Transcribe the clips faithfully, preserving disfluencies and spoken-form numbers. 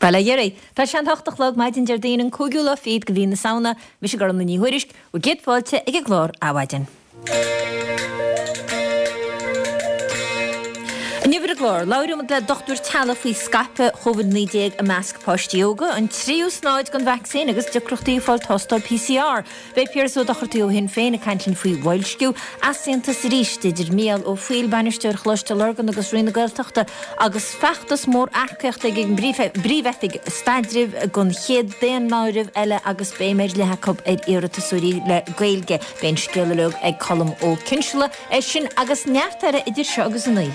Bail ó Dhia oraibh. Tá sé an hocht a chlog maidin Déardaoin an cúigiú lá fichead de mhí na Samhna. Mise Gormlaith Ní Thuairisg, bhur gcéad fáilte ag an gclár Adhmhaidin. Inniu ar an gclár, labhróimid le dochtúir teaghlaigh faoi scaipeadh Covid naoi déag i measc páistí óga, an tríú snáid den vacsaín agus deacrachtaí ag fáil tástáil P C R. Beidh Piaras Ó Dochartaigh ó Shinn Féin ag caint linn faoi bhoilsciú, easaontas arís idir Mícheál Ó Foighil, Bainisteoir Choláiste Lurgan agus Roinn na Gaeltachta agus feachtas mór earcaíochta ag an bPríomh-Oifig Staidrimh don chéad daonáireamh eile agus béim ar leith acu ar iarratasóirí le Gaeilge. Beidh an scéal uilig ag Colm Ó Cinnseala. É sin agus neart eile idir seo agus a naoi.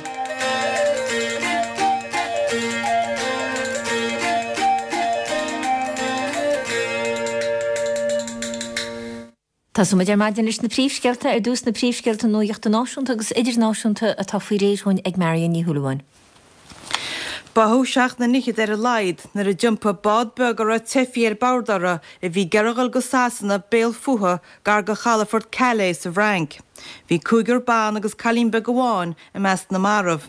Tosóimid ar maidin leis na príomhscéalta, ar dtús na príomhscéalta nuachta náisiúnta agus idirnáisiúnta atá faoi réir dhúinn ag Marion Ní Shúilleabháin. Báthadh seacht nduine fhichead ar a laghad nuair a d'iompaigh bád beag a raibh teifigh ar bord uirthi a bhí ag iarraidh a dhul go Sasana béal fúthu gar do chalafort Calais sa bhFrainc. Bhí cúigear ban agus cailín beag amháin i measc na marbh.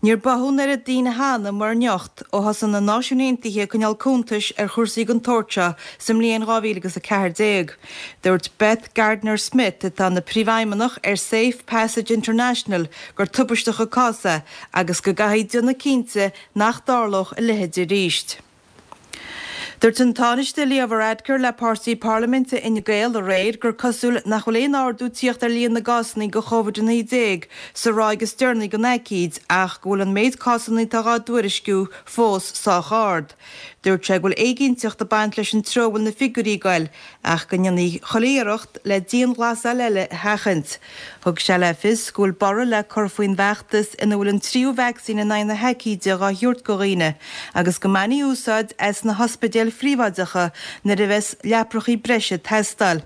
Níor báthadh an oiread daoine cheana mar anocht ó thosaigh na Náisiúin Aontaithe ag coinneáil cuntais ar chúrsaí den tsórt seo sa mbliain dhá mhíle agus a ceathair déag. Dúirt Beth Gardiner-Smith, atá ina príomhfheidhmeannach ar Safe Passage International, gur tubaisteach an cás é agus go gcaithfí déanamh cinnte nach dtarlódh a leithéid arís. Dúirt an Tánaiste Leo Varadkar le páirtí parlaiminte Fhine Gael aréir gur cosúil nach bhfuil aon ardú tíocht ar líon na gcásanna de Covid a naoi déag sa ráig is deireanaí den aicíd ach go bhfuil an méid cásanna atá dhá dtuairisciú fós sách ard. Dúirt sé go bhfuil éiginnteacht ag baint leis an treo a bhfuil na figiúirí ag goil ach go ndéanfaí chuile iarracht le dianghlasáil eile a sheachaint. Thug sé le fios go bhfuil borradh le cur faoin bhfeachtas ina bhfuil an tríú vacsaín in aghaidh na haicíde dhá thabhairt do dhaoine agus go mbainfí úsáid as na hospidéil phríobháideacha nuair a bheas leaprachaí breise ag teastáil.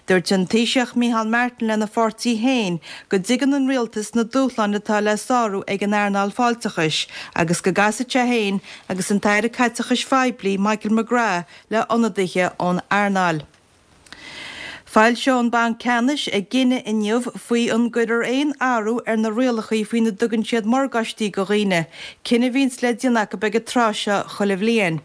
Dúirt an Taoiseach Micheál Martin lena pháirtí féin go dtuigeann an rialtas na dúshláin atá le sárú ag an earnáil fáilteachais agus go gcasfaidh sé féin agus an tAire Caiteachais Phoiblí Michael McGrath le hionadaithe ón earnáil. Foilseoidh an Banc Ceannais a gcinneadh inniu faoi an gcuirfear aon athrú ar na rialacha faoina dtugann siad morgáistí do dhaoine, cinneadh a bhíonns le déanamh acu ag an tráth seo chuile bhliain.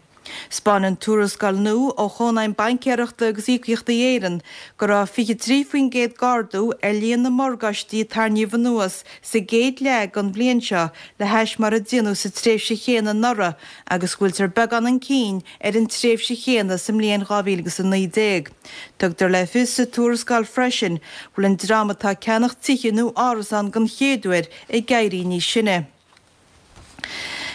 'Spáineann tuarascáil nua ó Chónaidhm Baincéireachta agus Íocaíochtaí Éireann go raibh fiche trí faoin gcéad d'ardú ar líon na morgáistí a tarraingíodh anuas sa gcéad leath den bhliain seo le hais mar a déanadh sa tréimhse chéanna anuraidh agus go bhfuiltear beagán chun cinn ar an tréimhse chéanna sa mbliain dhá mhíle agus a naoi déag. Tugtar le fios sa tuarascáil freisin go bhfuil an dream atá ag ceannach tithe nó árasán den chéad uair ag éirí níos sine.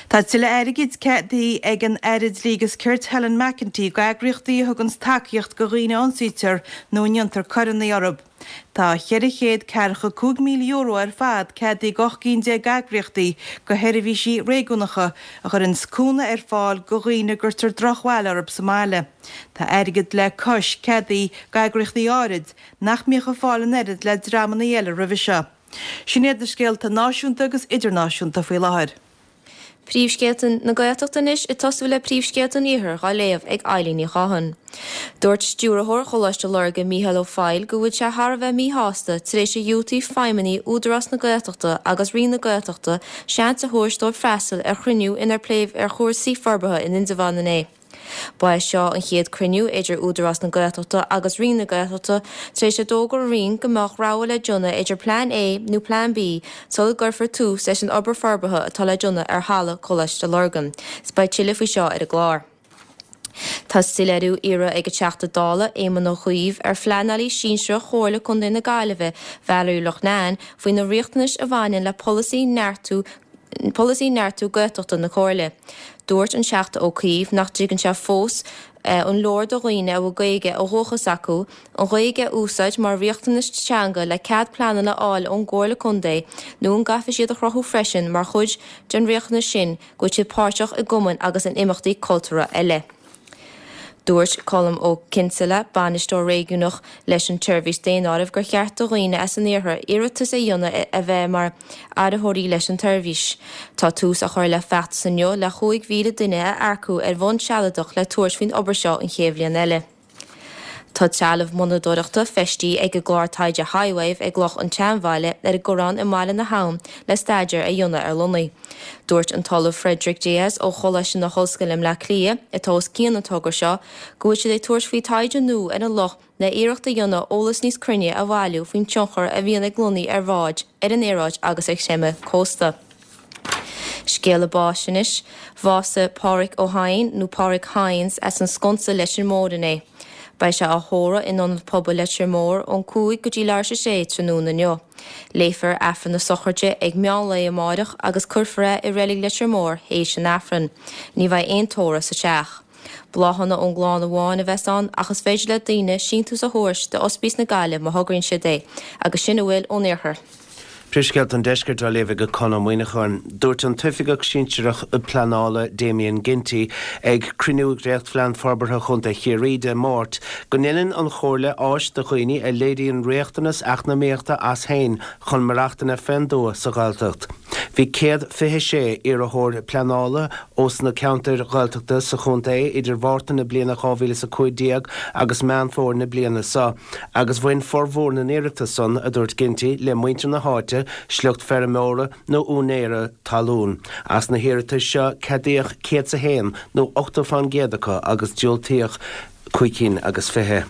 Tá tuilleadh airgid ceadaithe ag an Aire Dlí agus Cirt Helen McEntee d'eagraíochtaí a thuganns tacaíocht do dhaoine a ionsaítear nó a ndéantar coireanna orthu. Tá cheithre chéad ceathracha cúig míle euro ar fad ceadaithe d'ocht gcinn déag eagraíochtaí do sheirbhísí réigiúnacha a chuireanns cúnamh ar fáil do dhaoine a gcuirtear drochbhail orthu sa mbaile. Tá airgead le cois ceadaithe d'eagraíochtaí áirid nach mbíodh ag fáil an oiread le dreamanna eile roimhe seo. Sin iad na scéalta náisiúnta agus idirnáisiúnta faoi láthair. Príomhscéalta na Gaeltachta anois ag tosú le príomhscéalta an Iarthair dhá léamh ag Eilín Ní Chatháin. Dúirt stiúrthóir Choláiste Lurgan Mícheál Ó Foighil go bhfuil sé thar a bheith míshásta tar éis a dhiúltaigh feidhmeannaigh Údarás na Gaeltachta agus Roinn na Gaeltachta seans a thabhairt dóibh freastal ar chruinniú inar pléadh ar chúrsaí forbartha in Indreabhán inné. Ba é seo an chéad cruinniú idir Údarás na Gaeltachta agus Roinn na Gaeltachta tar éis a d'fhógair an Roinn go mbeadh rogha le déanamh idir Plean A nó Plean B sula gcuirfear tús leis an obair forbartha atá le déanamh ar halla Choláiste Lurgan. Is beidh tuilleadh faoi seo ar an gclár. Tá soiléiriú iarrtha ag an Teachta Dála Éamon Ó Cuív ar phleanálaí sinsearach Chomhairle Contae na Gaillimhe, Valerie Loughnane, faoi na riachtanais a bhaineann le polasaí neartú polasaí neartú Gaeltachta na Comhairle. Dúirt an Teachta Ó Cuív nach dtuigeann sé fós an leor do dhaoine a bhfuil Gaeilge ó dhúchas acu, an Ghaeilge a úsáid mar riachtanas teanga le cead pleanála a fháil ón gComhairle Contae nó an gcaithfidh siad a chruthú freisin mar chuid den riachtanas sin go bhfuil siad páirteach i gcumainn agus in imeachtaí cultúrtha eile. Dúirt Colm Ó Cinnseala, bainisteoir réigiúnach leis an tseirbhís daonáirimh gur cheart do dhaoine as an iarthar iarratas a dhéanamh a bheith mar áiritheoirí leis an tseirbhís. Tá tús á chur le feachtas inniu le cúig mhíle duine a earcú ar bhonn sealadach le tabhairt faoin obair seo an chéad bhliain eile. Tá trealamh monatóireachta feistithe ag an gclár taighde HiWave ag Loch an tSeanbhaile ar an gCorrán i mBaile na hAbhann le staidéar a dhéanamh ar lonnaí. Dúirt an tOllamh Frederick Diaz ó Choláiste na hOllscoile i mBleá Cliath, atá os cionn an togra seo, go bhfuil siad ag tabhairt faoi taighde nua ar an loch le iarracht a dhéanamh eolas níos cruinne a bhailiú faoin tionchar a bhíonn ag lonnaí ar bháid, ar an aeráid agus ar chreimeadh cósta. Scéala báis anois. Bhásaigh Páraic Ó hEidhin, nó Páraic Hynes, as an Sconsa Leitir Móir inné. Beidh sé á thórramh in Ionad Pobail Leitir Móir ón cúig go dtí leathuair tar éis a sé tráthnóna inniu. Léifear Aifreann na sochraide ag meán lae amáireach agus cuirfear é i Reilig Leitir Móir théis an Aifrinn. Ní bheidh aon tórramh sa teach. Bláthanna ón gclann amháin a bheas ann ach is féidir le daoine síntiús a thabhairt d'Ospís na Gaillimhe má thograíonn siad é. Agus sin a bhfuil ón Iarthar. Príomhscéalta an Deiscirt á léamh ag Conn Ó Muíneacháin. Dúirt an tOifigeach Sinsearach Pleanála Damien Ginty ag cruinniú Dhréachtphlean Forbartha Chontae Chiarraí Dé Máirt go ndéanann an Chomhairle áis do dhaoine a léiríonn riachtanas eacnamaíochta as féin chun maireachtaint fén dtuath sa Ghaeltacht. Bhí céad fiche sé iarrthóir pleanála ós na ceantair Ghaeltachta sa chontae idir Mhárta na bliana dhá mhíle is a cúig déag agus Meán Fómhair na bliana seo, agus bhain formhór na n-iarratas san, a dúirt Ginty, le muintir na háite, sliocht feirmeora nó úinéara talún. As na hiarratais seo, ceadaíodh céad is a haon nó ochtó fán gcéad acu agus diúltaíodh cúig cinn agus fiche.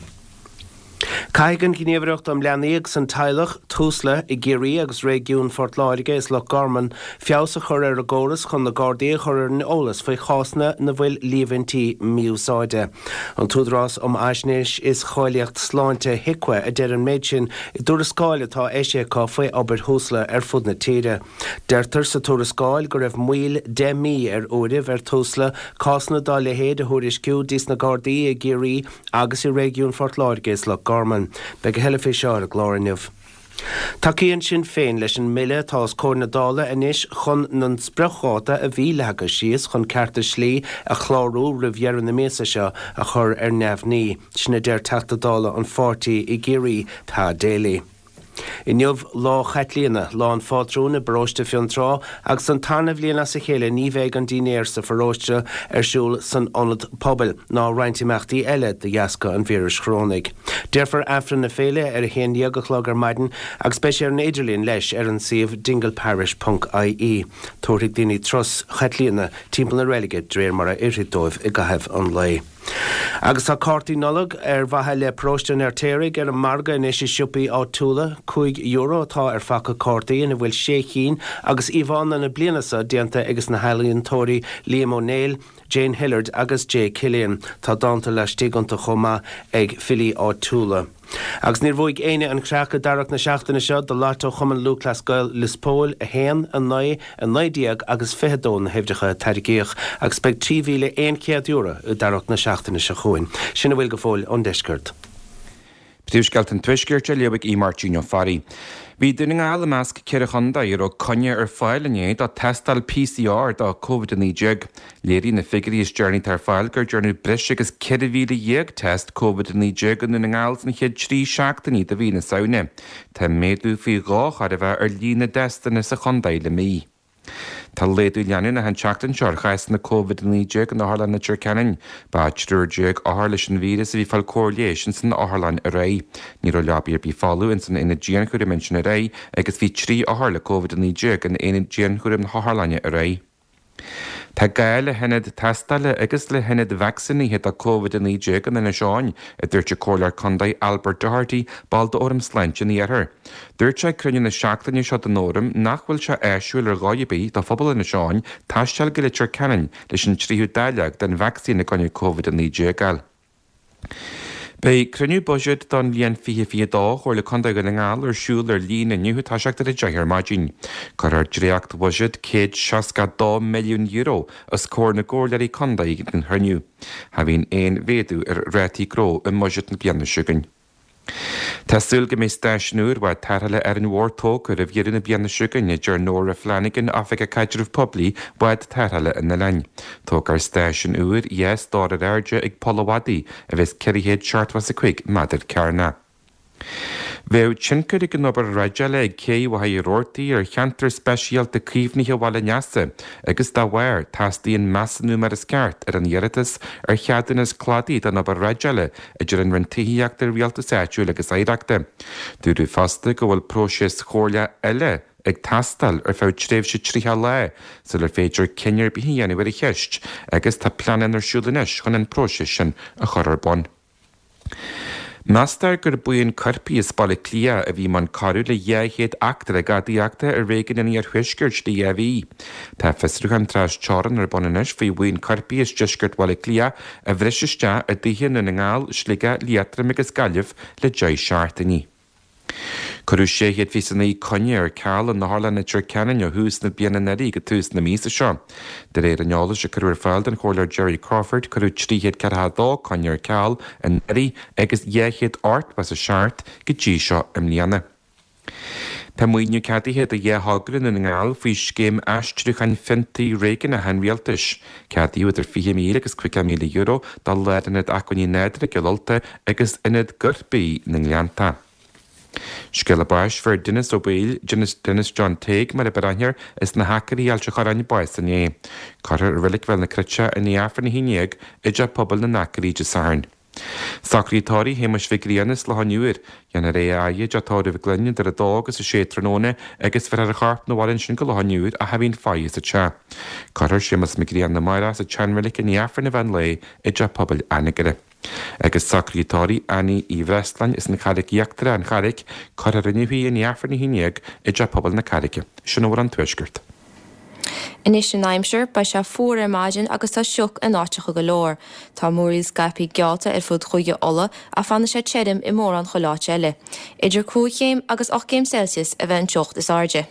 Caithfidh an Ghníomhaireacht um Leanaí agus an Teaghlach, Tusla, i gCiarraí agus réigiún Phort Láirge is Loch Garman feabhas a chur ar a gcóras chun na Gardaí a chur ar an eolas faoi chásanna ina bhfuil líomhaintí mí-úsáide. An tÚdarás um Fhaisnéis is Cháilíocht Sláinte, HIQA, a deir an méid sin i dtuarascáil atá eisithe acu faoi obair Thusla ar fud na tíre. Deirtear sa tuarascáil go raibh moill deich mí ar uairibh ar Tusla cásanna dá leithéid a thuairisciú dís na Gardaí i gCiarraí agus i réigiún Phort Láirge is Loch Garman. Beidh a thuilleadh faoi seo ar an gclár inniu. Tacaíonn Sinn Féin leis an mbille atá os comhair na Dála anois chun an spriocdháta a bhí leagtha síos chun cearta slí a chlárú roimh dheireadh na míosa seo a chur ar neamhní. Sin a deir Teachta Dála an pháirtí i gCiarraí, Pa Daly. Inniu Lá Chaitlíona, lá an phátrúin i bparóiste Fionntrá agus an tarna bhliain as a chéile ní bheidh an dinnéar sa pharóiste ar siúl san ionad pobail ná roinnt imeachtaí eile de dheasca an víris chorónaigh. Déarfar Aifreann na féile ar a haon dhéag a chlog ar maidin agus beidh sé ar an idirlíon leis ar an suíomh dingleparish ponc ie. Tabharfaidh daoine turas Chaitlíona timpeall na reilige de réir mar a oirfidh dóibh i gcaitheamh an lae. Agus tá cártaí Nollag ar mhaithe le Paróiste an Fheirtéaraigh ar an margadh anois i siopaí áitiúla. Cúig euro atá ar phaca cártaí ina bhfuil sé chinn agus íomhánna na bliana seo déanta ages na healaíontóirí Liam Ó Néill, Jane Hillard agus Jay Killian. Tá dánta laistigh iontu chomh maith ag filí áitiúla. Agus níor bhuaigh éinne an Chreach i dtarrac na seachtaine seo do Lotto Chumann Lúthchleas Gael Lios Póil, a haon, a naoi, a naoi déag agus fiche a dó na huimhreacha a tairgíodh agus beidh trí mhíle aon chéad euro i dtarrac na seachtaine seo chugainn. Sin a bhfuil go fóill ón deisceart. Príomhscéalta an Tuaiscirt á léamh ag Aodh Máirtín Ó Fearraigh. Bhí Dún na nGall i measc ceithre chontae a raibh coinne ar fáil inné do tástáil PCR do Covid a naoi déag. Léirigh na figiúirí is deireanaí atá ar fáil gur dearnadh breis agus ceithre mhíle dhéag test Covid a naoi déag i nDún na nGall sna chéad trí seachtainí de mhí na Samhna. Tá méadú faoi dhó chóir a bheith ar líon na dtestanna sa chontae le mí. Tá laghdú leanúnach an tseachtain seo ar chásanna Covid a naoi déag in Otharlann Leitir Ceanainn. Ba triúr déag othar leis an víreas a bhí ag fáil cóir leighis ins an otharlann aréir. Ní raibh leabaí ar bith folamh ins an aonad dianchúraim ansin aréir agus bhí trí othar le Covid a naoi déag in aonad dianchúraim na hotharlainne aréir. Tá gá le hionad tástála agus le hionad vacsaínithe do Covid a naoi déag in Inis Eoghain, a dúirt an Comhairleoir Contae Albert Doherty, ball d'Fhóram Sláinte an Iarthair. Dúirt sé ag cruinniú na seachtaine seo den Fhóram nach bhfuil sé áisiúil ar dhóigh ar bith do phobal Inis Eoghain taisteal go Leitir Ceanainn leis an tríú dáileog den vacsaín i gcoinne Covid a naoi déag a fháil. Beidh cruinniú buiséid don bhliain fiche fiche a dó Chomhairle Contae Dhún na nGall ar siúl ar líne inniu ag toiseacht ar a deich ar maidin. Cuirfear dréacht-bhuiséad céad seasca a dó milliún euro os comhair na gcomhairleoirí contae ag an chruinniú. Cha bhíonn aon mhéadú ar rátaí gnó i mbuiséad na bliana seo chugainn. Tá súil go mbeidh stáisiún úr bhád tarrthála Árainn Mhór tógtha roimh dheireadh na bliana seo chugainn, a deir Nóra Flanagan, Oifigeach Caidrimh Poiblí Bhád Tarrthála an Oileáin. Tógfar stáisiún úr dhá stór ar airde ag Poll a' Mhadaidh a bheas ceithre chéad seachtó is a cúig méadar cearnach. Bheadh tionchar ag an obair dhreideála ag cé Mhachaire Rabhartaigh ar cheantar speisialta caomhnaithe Bhaile an Easa agus dá bharr teastaíonn measúnú mar is ceart ar an iarratas ar cheadúnas cladaigh don obair dhreideála idir an Roinn Tithíochta, Rialtais Áitiúil agus Oidhreachta. Dúradh fosta go bhfuil próiseas comhairleach eile ag teastáil ar feadh tréimhse tríocha lá sular féidir cinneadh ar bith a dhéanamh ar an cheist agus tá pleananna ar siúl anois chun an próiseas sin a chur ar bun. Meastar gur buíon coirpigh as Baile Átha Cliath a bhí i mbun coiriú le dhá chéad eachtra gadaíochta i réigiún an Iarthuaiscirt le dhá mhí. Tá fiosrúchán trasteorann ar bun anois faoi bhuíon coirpigh as deisceart Bhaile Átha Cliath a bhris isteach i dtithe i nDún na nGall, Sligeach, Liatroim agus Gaillimh le deich seachtainí. Cuireadh sé chéad fiche naoi coinne ar ceal in Otharlann Leitir Ceanainn ó thús na bliana anuraidh go tús na míosa seo. De réir an eolais a cuireadh ar fáil don Chomhairleoir Jerry Crawford, cuireadh trí chéad ceathracha a dó coinne ar ceal anuraidh agus dhá chéad ochtó is a seacht go dtí seo i mbliana. Tá maoiniú ceadaithe do dhá thogra i nDún na nGall faoi Scéim Aistriúcháin Fiontair Réigiúnacha an Rialtais. Ceadaíodh idir fiche míle agus caoga míle euro do Lárionad Acmhainní Nádúrtha i gCill Ulta agus Ionad Giorria na nGleannta. Scéala báis Fuair Denis Ó Baoill, Denis John Tague mar a b'fhearr aithne air, as na hAcairí Ailt an Chorráin bás inné. Cuirfear i Reilig Bhéal na Cruite i ndiaidh Aifreann a haon déag i dTeach Pobail na nAcairí Dé Sathairn. Socraíodh tórramh Shéamuis Mhic Grianna as Loch an Iúir. Déanfar é a fhaire i dTeach Tórraimh Mhic Fhloinn idir a dó agus a sé tráthnóna agus bheirfear a chorp 'na bhaile ansin go Loch an Iúir ach a bhíonn faire sa teach. Cuirfear Séamus Mac Grianna amárach sa tseanreilig i ndiaidh Aifreann an mheán lae i dTeach Pobail Anagaire. Agus socruithe tórraimh Annie Uí Bhreasláin as an Charraic Íochtarach, An Charraic, cuirfear inniu í i ndiaidh Aifreann a haon déag i dTeach Pobail na Carraice. Sin a bhfuil ón Tuaisceart. Anois an aimsir, beidh sé fuar ar maidin agus tá sioc in áiteacha go leor. Tá múraíl scaipthe geallta ar fud Chúige Uladh ach fanfaidh sé tirim i mórán chuile áit eile. Idir cúig chéim agus ocht gcéim Celsius a bheidh an teocht is airde.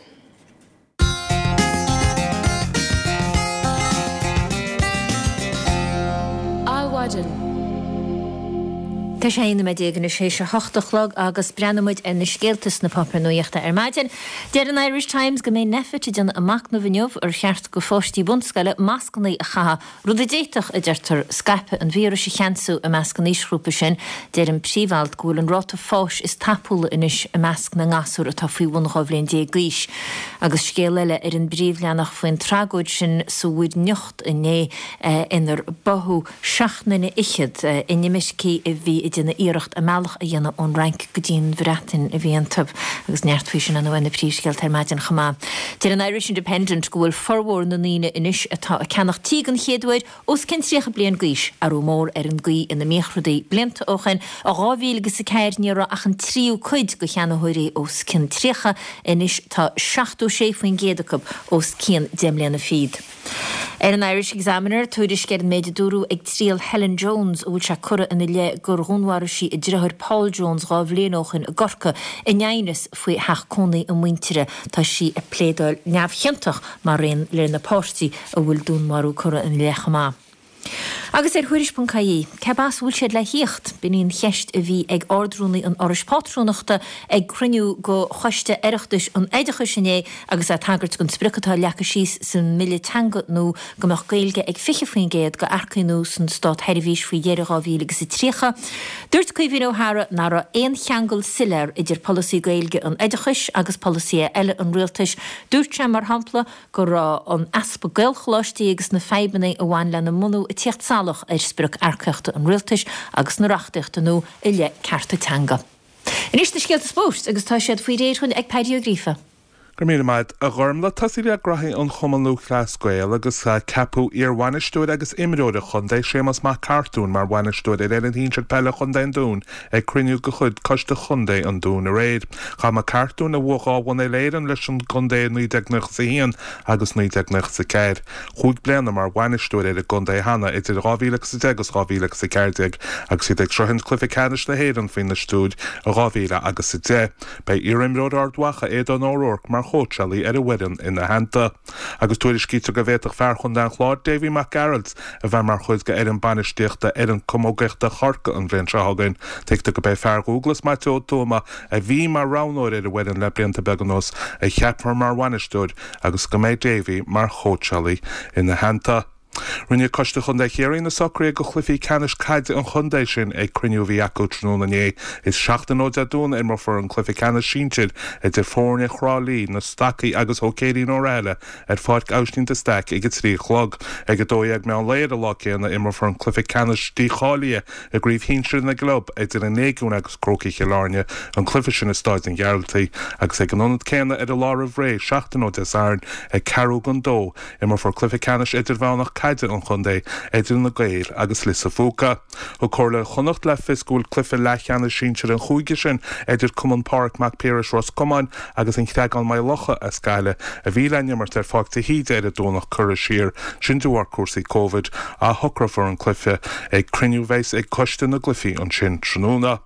Adhmhaidin. Tá sé aon nóiméad déag anois théis a hocht a chlog agus breathnóidh muid ar na scéalta sna páipéir nuachta ar maidin. Deir an Irish Times go mbeidh Nphet ag déanamh a machnamh inniu ar cheart go pháistí bunscoile mascanna a chaitheamh, rud a d'fhéadfadh, a deirtear, scaipeadh an víris a cheansú i measc an aoisghrúpa sin. Deir an príomhalt go bhfuil an ráta fáis is tapúla anois i measc na ngasúr atá faoi bhun dhá bhliain déag d'aois. Agus scéal eile ar an bpríomhleathanach faoin tragóid sin sa Mhuir nIocht inné inar báthadh seacht nduine fhichead, inimircigh a bhí ag déanamh iarracht a mbealach a dhéanamh ón Fhrainc go dtí an Bhreatain a bhí iontu. Agus neart faoi sin ar na príomhscéalta ar maidin chomh maith. Deir an Irish Independent go bhfuil formhór na ndaoine anois atá ag ceannach tí den chéad uair os cionn tríocha bliain d'aois, athrú mór ar an gcaoi ina mbíodh rudaí blianta ó shin. I dhá mhíle agus a ceathair ní raibh ach an tríú cuid de cheannaitheoirí os cionn tríocha, anois tá seachtó sé faoin gcéad acu os cionn deich mbliana fichead. Ar an Irish Examiner, tuairisc ar an méid a dúradh ag triail Helen Jones, a bhfuil sé curtha ina leith gur dhúnmharaigh sí a deartháir Paul Jones dhá bhliain ó shin i gCorcaigh in aighneas faoi theach cónaí a muintire. Tá sí ag pléadáil neamhchiontach mar aon lena páirtí a bhfuil dúnmharú curtha ina leith chomh maith. Agus ar Thuairisc ponc ie, céb as a bhfuil siad le thíocht? B'in í an cheist a bhí ag Ard-Rúnaí an Fhorais Pátrúnachta ag cruinniú de Choiste Oireachtais an Oideachais inné agus é ag tagairt don sprioc atá leagtha síos sa mBille Teanga nua go mbeadh Gaeilge ag fiche faoin gcéad d'earcaigh nua san státsheirbhís faoi dheireadh dhá mhíle agus a tríocha. Dúirt Caoimhín Ó hEadhra nach raibh aon cheangal soiléir idir polasaí Gaeilge an oideachais agus polasaithe eile an rialtais. Dúirt sé, mar shampla, go raibh an easpa Gaelcholáistí agus na fadhbanna a bhain lena mbunú ag tíocht salach ar sprioc earcaíochta an rialtais agus na reachtaíochta nua i leith cearta teanga. Anois na scéalta spóirt agus tá siad faoi réir dhúinn ag Paddy Ó Gríofa. Go raibh míle maith a Ghormlaith. Tosaí le graithí an Chumann Lúthchleas Gael agus ceapadh iar-bhainisteoir agus imreoir an chontae, Séamus Mac Cartúin, mar bhainisteoir ar fhoireann shinsir peile Chontae an Dúin ag cruinniú de chuid Coiste Chontae an Dúin aréir. Chaith Mac Cartúin, a bhuaigh dhá bhonn Uile-Éireann leis an gcontae i naoi déag nócha is a haon agus naoi déag nócha is a ceathair, chúig bliana mar bhainisteoir ar an gcontae cheana idir dhá mhíle agus a deich agus dhá mhíle agus a ceathair déag agus iad ag sroichint cluiche ceannais na hÉireann faoina stiúir i dhá mhíle agus a deich. Beidh iarimreoir Ard Mhacha, Aodán O'Rourke, mar chóitseálaí ar an bhfoireann ina theannta. Agus tuairiscítear go bhféadfadh fear chontae an Chláir, Davy Mac Gearailt, a bheith mar chuid d'fhoireann bainistíochta fhoireann camógaíochta Chorcaí an bhliain seo chugainn. Tuigtear go b'é fear Dhúglas, Maitiú Ó Tuama, a bhí mar roghnóir ar an bhfoireann le blianta beaga anuas, a cheapfar mar bhainisteoir agus go mbeidh Davy mar chóitseálaí ina theannta. Rinne Coiste Chontae Chiarraí na socruithe do chluichí ceannais caide an chontae sin ag cruinniú a bhí acu tráthnóna inné. Is seachtain ó Dé Domhnaigh a imreofar an cluiche ceannais sinsir idir foirne Thrá Lí, na Stacaigh agus Hóicéirí na Oirialla ar Pháirc Aibhistín de Staic ag a trí a chlog. Ag a dó dhéag meán lae ar an lá céanna imreofar an cluiche ceannais dícháilithe i gcraobh shinsir na gclub idir an Léigiún agus Crócaigh Chill Airne, an cluiche sin i Staid an Ghearaltaigh, agus ag an ionad céanna ar an lá roimh ré, seachtain ó Dé Sathairn, ag ceathrú don dó, imreofar cluiche ceannais idirmheánach caide an chontae idir na Gaeil agus Lios a' Phúca. Thug Comhairle Chonnacht le fios go bhfuil cluiche leathcheannais sinsir an chúige sin idir Cumann Pádraig Mac Piarais Ros Comáin agus an Creagán Maigh Locha as Gaillimh a bhí le n-imirt ar Pháirc de hÍde ar an Domhnach curtha siar, sin de bharr cúrsaí Covid. Athshocrófar an cluiche ag cruinniú a bheas ag coiste na gcluichí ansin tráthnóna.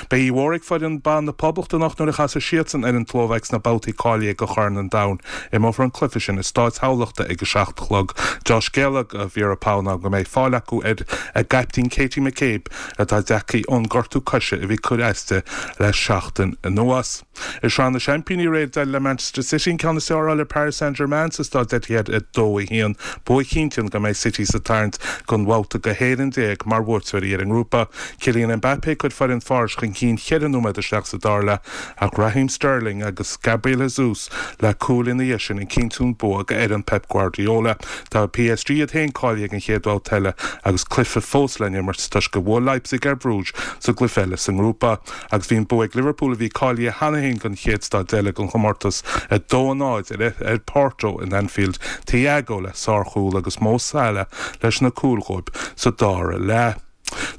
Beidh ádh mhór ag foireann ban na Poblachta anocht nuair a chasfaidh siadsan ar an tSlóvaic sna babhtaí cáilithe do Chorn an Domhain. Imreofar an cluiche sin i Stáid Thamhlachta ag a seacht a chlog. Deá-scéala do Vera Pauw ná go mbeidh fáil acu ar a gcaiptín Katie McCabe atá tagtha ón ngortú coise a bhí ag cur as di le seachtain anuas. I Sraith na Seaimpíní aréir d'éirigh le Manchester City an ceann is fearr a fháil ar Paris Saint-Germain sa Staid Etihad a dó a haon. Bua a chinntíonn go mbeidh City sa tarraingt don bhabhta go haon fhoireann déag mar bhuaiteoirí ar an ngrúpa. Kylian Mbappé ag cur foireann Pháras chun cinn cheithre nóiméad isteach sa dara leath ach Raheem Sterling agus Gabriel Jesus le cúil ina dhiaidh sin ag cinntiú an bua go fhoireann Pep Guardiola. Tá P S G iad féin cáilithe don chéad bhabhta eile agus cluiche fós le n-imirt toisc gur bhuail Leipzig ar Bruges sa gcluiche eile sa ngrúpa. Agus bhí an bua ag Liverpool a bhí cáilithe cheana féin don chéad staid eile den chomórtas a dó a náid ar ar Porto in Anfield. Thiago le sárchúl agus Mo Salah leis na cúil dhóibh sa dara leath.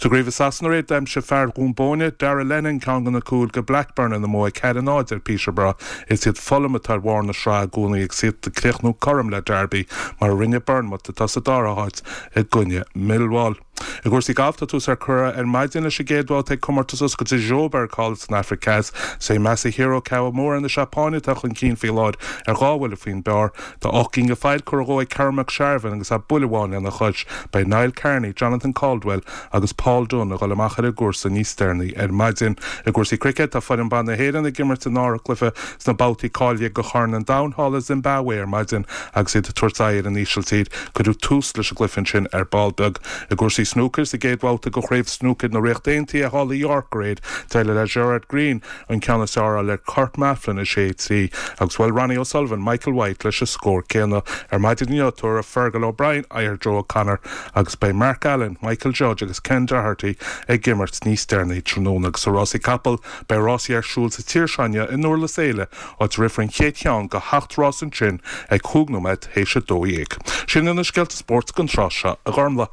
Sa gcraobh i Sasana aréir d'aimsigh fear Dhún Bóinne, Darragh Lennon ceann de na cúil go Blackburn ina mbua ceathair a náid ar Peterborough. Is iad Fulham atá ar bharr na sraithe i gcónaí agus iad ag críochnú cothrom le Derby mar a rinne Bournemouth atá sa dara háit i gcoinne Millwall. I gcúrsaí gailf tá tús curtha ar maidin leis an gcéad bhabhta ag comórtas oscailte Joburg thall san Afraic Theas. Is é Masahiro Kawamura na Seapáine atá chun cinn faoi láthair ar dhá bhuille faoin bpar. Tá ocht gcinn de phoill curtha dhó ag Kerr McSharvin agus é buille amháin lena chois. Beidh Niall Kearney, Jonathan Caldwell agus Paul Dunne ag dul amach ar an gcúrsa níos deireanaí ar maidin. I gcúrsaí cruicéid tá foireann ban na hÉireann ag imirt a ndara cluiche sna babhtaí cáilithe go Chorn an Domhain thall i Zimbabwe ar maidin agus iad ag tabhairt aghaidh ar an Ísiltír. Cuireadh tús leis an gcluiche ansin ar ball beag. I gcúrsaí snúcair sa gcéad bhabhta de chraobh snúcair na Ríochta Aontaithe thall i York aréir d'éirigh le Gerard Greene an ceann is fearr a fháil ar Kurt Maflin a sé trí agus bhuail Ronnie O'Sullivan Michael White leis an scór céanna. Ar maidin inniu tabharfaidh Fergal O'Brien aghaidh ar Joe O'Connor agus beidh Mark Allen, Michael Judge agus Ken Doherty ag imirt níos deireanaí tráthnóna agus sa rásaí capall beidh rásaí ar siúl sa tír seo inniu i nDurlas Éile áit a rithfear an chéad cheann de sheacht rás ansin ag cúig nóiméad théis a dó dhéag. Sin na scéalta spóirt don tráth seo a Ghormlaith.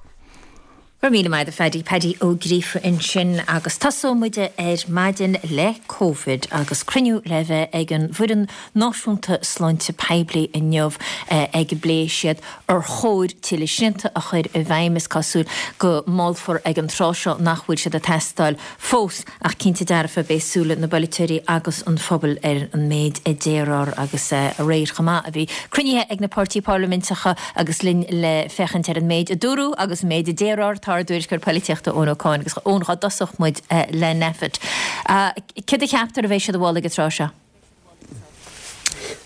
Go raibh míle maith agat a Phaddy Paddy Ó Gríofa ansin agus tosóidh muid ar maidin le Covid agus cruinniú le bheith ag an bhfoireann náisiúnta sláinte poiblí inniu ag a bpléifidh siad ar chóir tuilleadh srianta a chur i bhfeidhm is cosúil go molfar ag an tráth seo nach bhfuil siad ag teastáil fós ach cinnte dearfa beidh súile na bpolaiteoirí agus an phobail ar an méid a déarfar agus aréir chomh maith a bhí cruinnithe ag na páirtithe parlaiminteacha agus linn le féachaint ar an méid a dúradh agus an méid a déarfar tá ár dtuairisceoir polaitíochta Eoin Ó Cualáin agus Eoin cá dtosódh muid le Nphet. Céard a cheaptar a bheidh siad a mholadh ag an tráth seo?